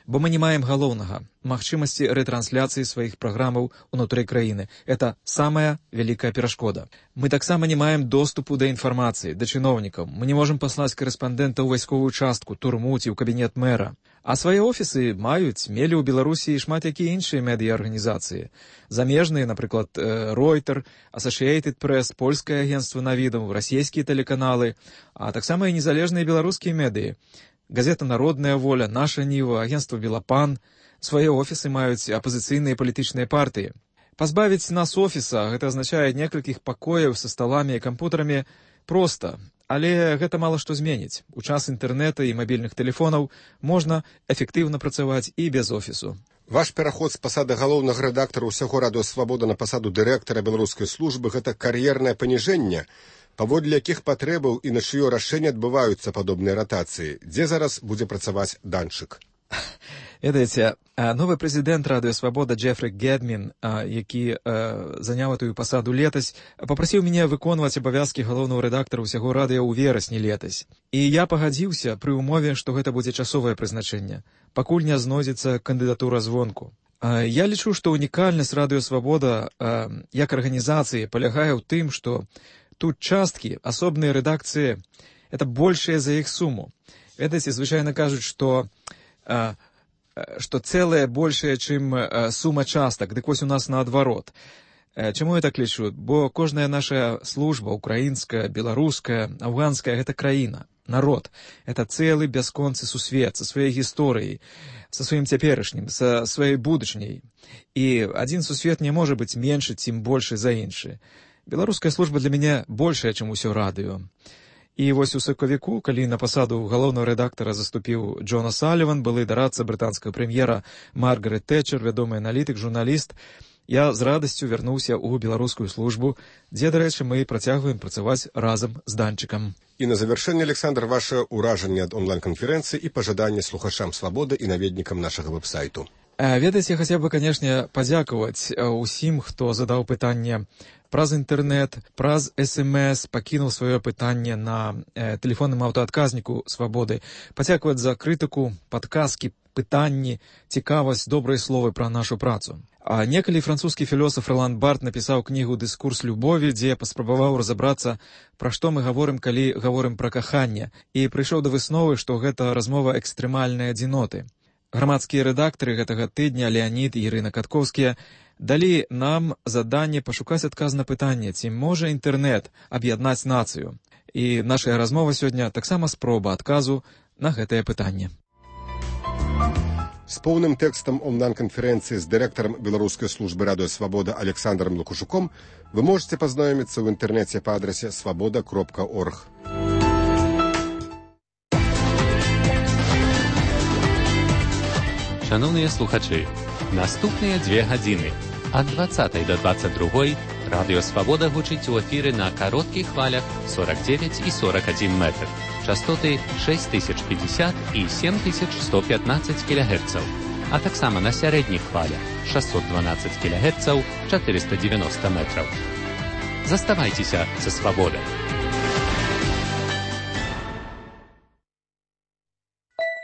Бо мы не маем галоўнага – магчымасці рэтрансляцыі сваіх праграмаў унутры краіны. Это самая вялікая перашкода. Мы таксама не маем доступу да інфармацыі, да чыноўнікаў. Мы не можам паслаць карэспандэнта ў вайсковую частку, турму ці ў кабінет мэра. А свае офісы маюць, мелі ў Беларусі шмат якія іншыя медыа-арганізацыі. Замежныя, напрыклад, Reuters, Associated Press, польскае агенцтва навідаў, расійскія тэлеканалы, а таксама і незалежныя беларускія медыі. Газета «Народная воля», «Наша Ніва», агенцтва «Белапан». Свае офісы маюць апазіцыйныя палітычныя партыі. Пазбавіць нас офіса – гэта азначае некалькіх пакояў са сталамі і кампутарамі проста. Але гэта мала што зменіць. У час інтэрнэта і мабільных тэлефонаў можна эфектыўна працаваць і без офісу. Ваш пераход з пасады галоўнага рэдактара ўсяго радыё «Свабода» на пасаду дырэктара беларускай службы – гэта кар'ернае паніжэнне, паводле якіх патрэбаў і на чыё рашэнне адбываюцца падобныя ратацыі. Дзе зараз будзе працаваць Данчык? Ведаеце, новы прэзідэнт радыё «Свабода» Джефры Гедмін, які заняў этую пасаду летась, папрасіў мяне выконваць абавязкі галоўнага рэдактара ўсяго радыё ў верасні летась. І я пагадзіўся пры ўмове, што гэта будзе часовае прызначэнне, пакуль не знойдзецца кандыдатура звонку. Я лічу, што унікальнасць радыё «Свабода» як арганізацыі палягае ў тым, што тут часткі, асобныя рэдакцыі – это большая за іх суму. Ведаеце, звычайна кажуць, што што цэлае большае, чым сума частак. Дык вось у нас наадварот. Чаму я так лічу? Бо кожная наша служба, украінская, беларуская, афганская – гэта краіна, народ. Это цэлы бясконцы сусвет са сваёй гісторыяй, са сваім цяперашнім, са сваёй будучняй. І адзін сусвет не можа быць меншы, цім большы за іншы. Беларуская служба для мяне большая, чым усё радыё. І вось у сакавіку, калі на пасаду галоўнага рэдактара заступіў Джон Асаліван, былы дарадца брытанскага прэм'ера Маргарет Тэтчер, вядомы аналітык, журналіст, я з радасцю вярнуўся ў беларускую службу, дзе, дарэчы, мы працягваем працаваць разам з Данчыкам. І на завяршэнне, Александр, ваше ўражанне ад онлайн-канферэнцыі і пажаданне слухачам «Свабоды» і наведнікам нашага вэб-сайту. Ведаеце, я хацеў бы, канешне, падзякаваць усім, хто задаў пытанне праз інтэрнэт, праз эс эм эс, пакінуў сваё пытанне на э, тэлефонным аўтаадказніку «Свабоды». Падзякаваць за крытыку, падказкі, пытанні, цікавасць, добрыя словы пра нашу працу. А некалі французскі філосаф Ролан Барт напісаў кнігу «Дыскурс любові», дзе паспрабаваў разабрацца, пра што мы гаворым, калі гаворым пра каханне, і прыйшоў да высновы, што гэта размова экстрэмальнай адзіноты. Грамадскія рэдактары гэтага тыдня, Леанід і Ірына Каткоўскія, далі нам заданне пашукаць адказ на пытанне, ці можа інтэрнэт аб'яднаць нацыю. І наша размова сёння таксама спроба адказу на гэтае пытанне. З поўным тэкстам онлайн-канферэнцыі з дырэктарам беларускай службы радыё «Свабода» Александром Лукашуком вы можете пазнаёміцца ў інтэрнэце па адрасе свабода кропка орг. Шановныя слухачы, наступныя дзве гадзіны ад дваццатай да дваццаць другой радыё «Свабода» гучыць у эфіры на кароткіх хвалях сорок девять і сорок один метр. Частоты шесть тысяч пятьдесят і семь тысяч сто пятнадцать кілогерцаў, а таксама на сярэдніх хвалях шестьсот двенадцать кілогерцаў, четыреста девяносто метров. Заставайцеся са «Свабодай».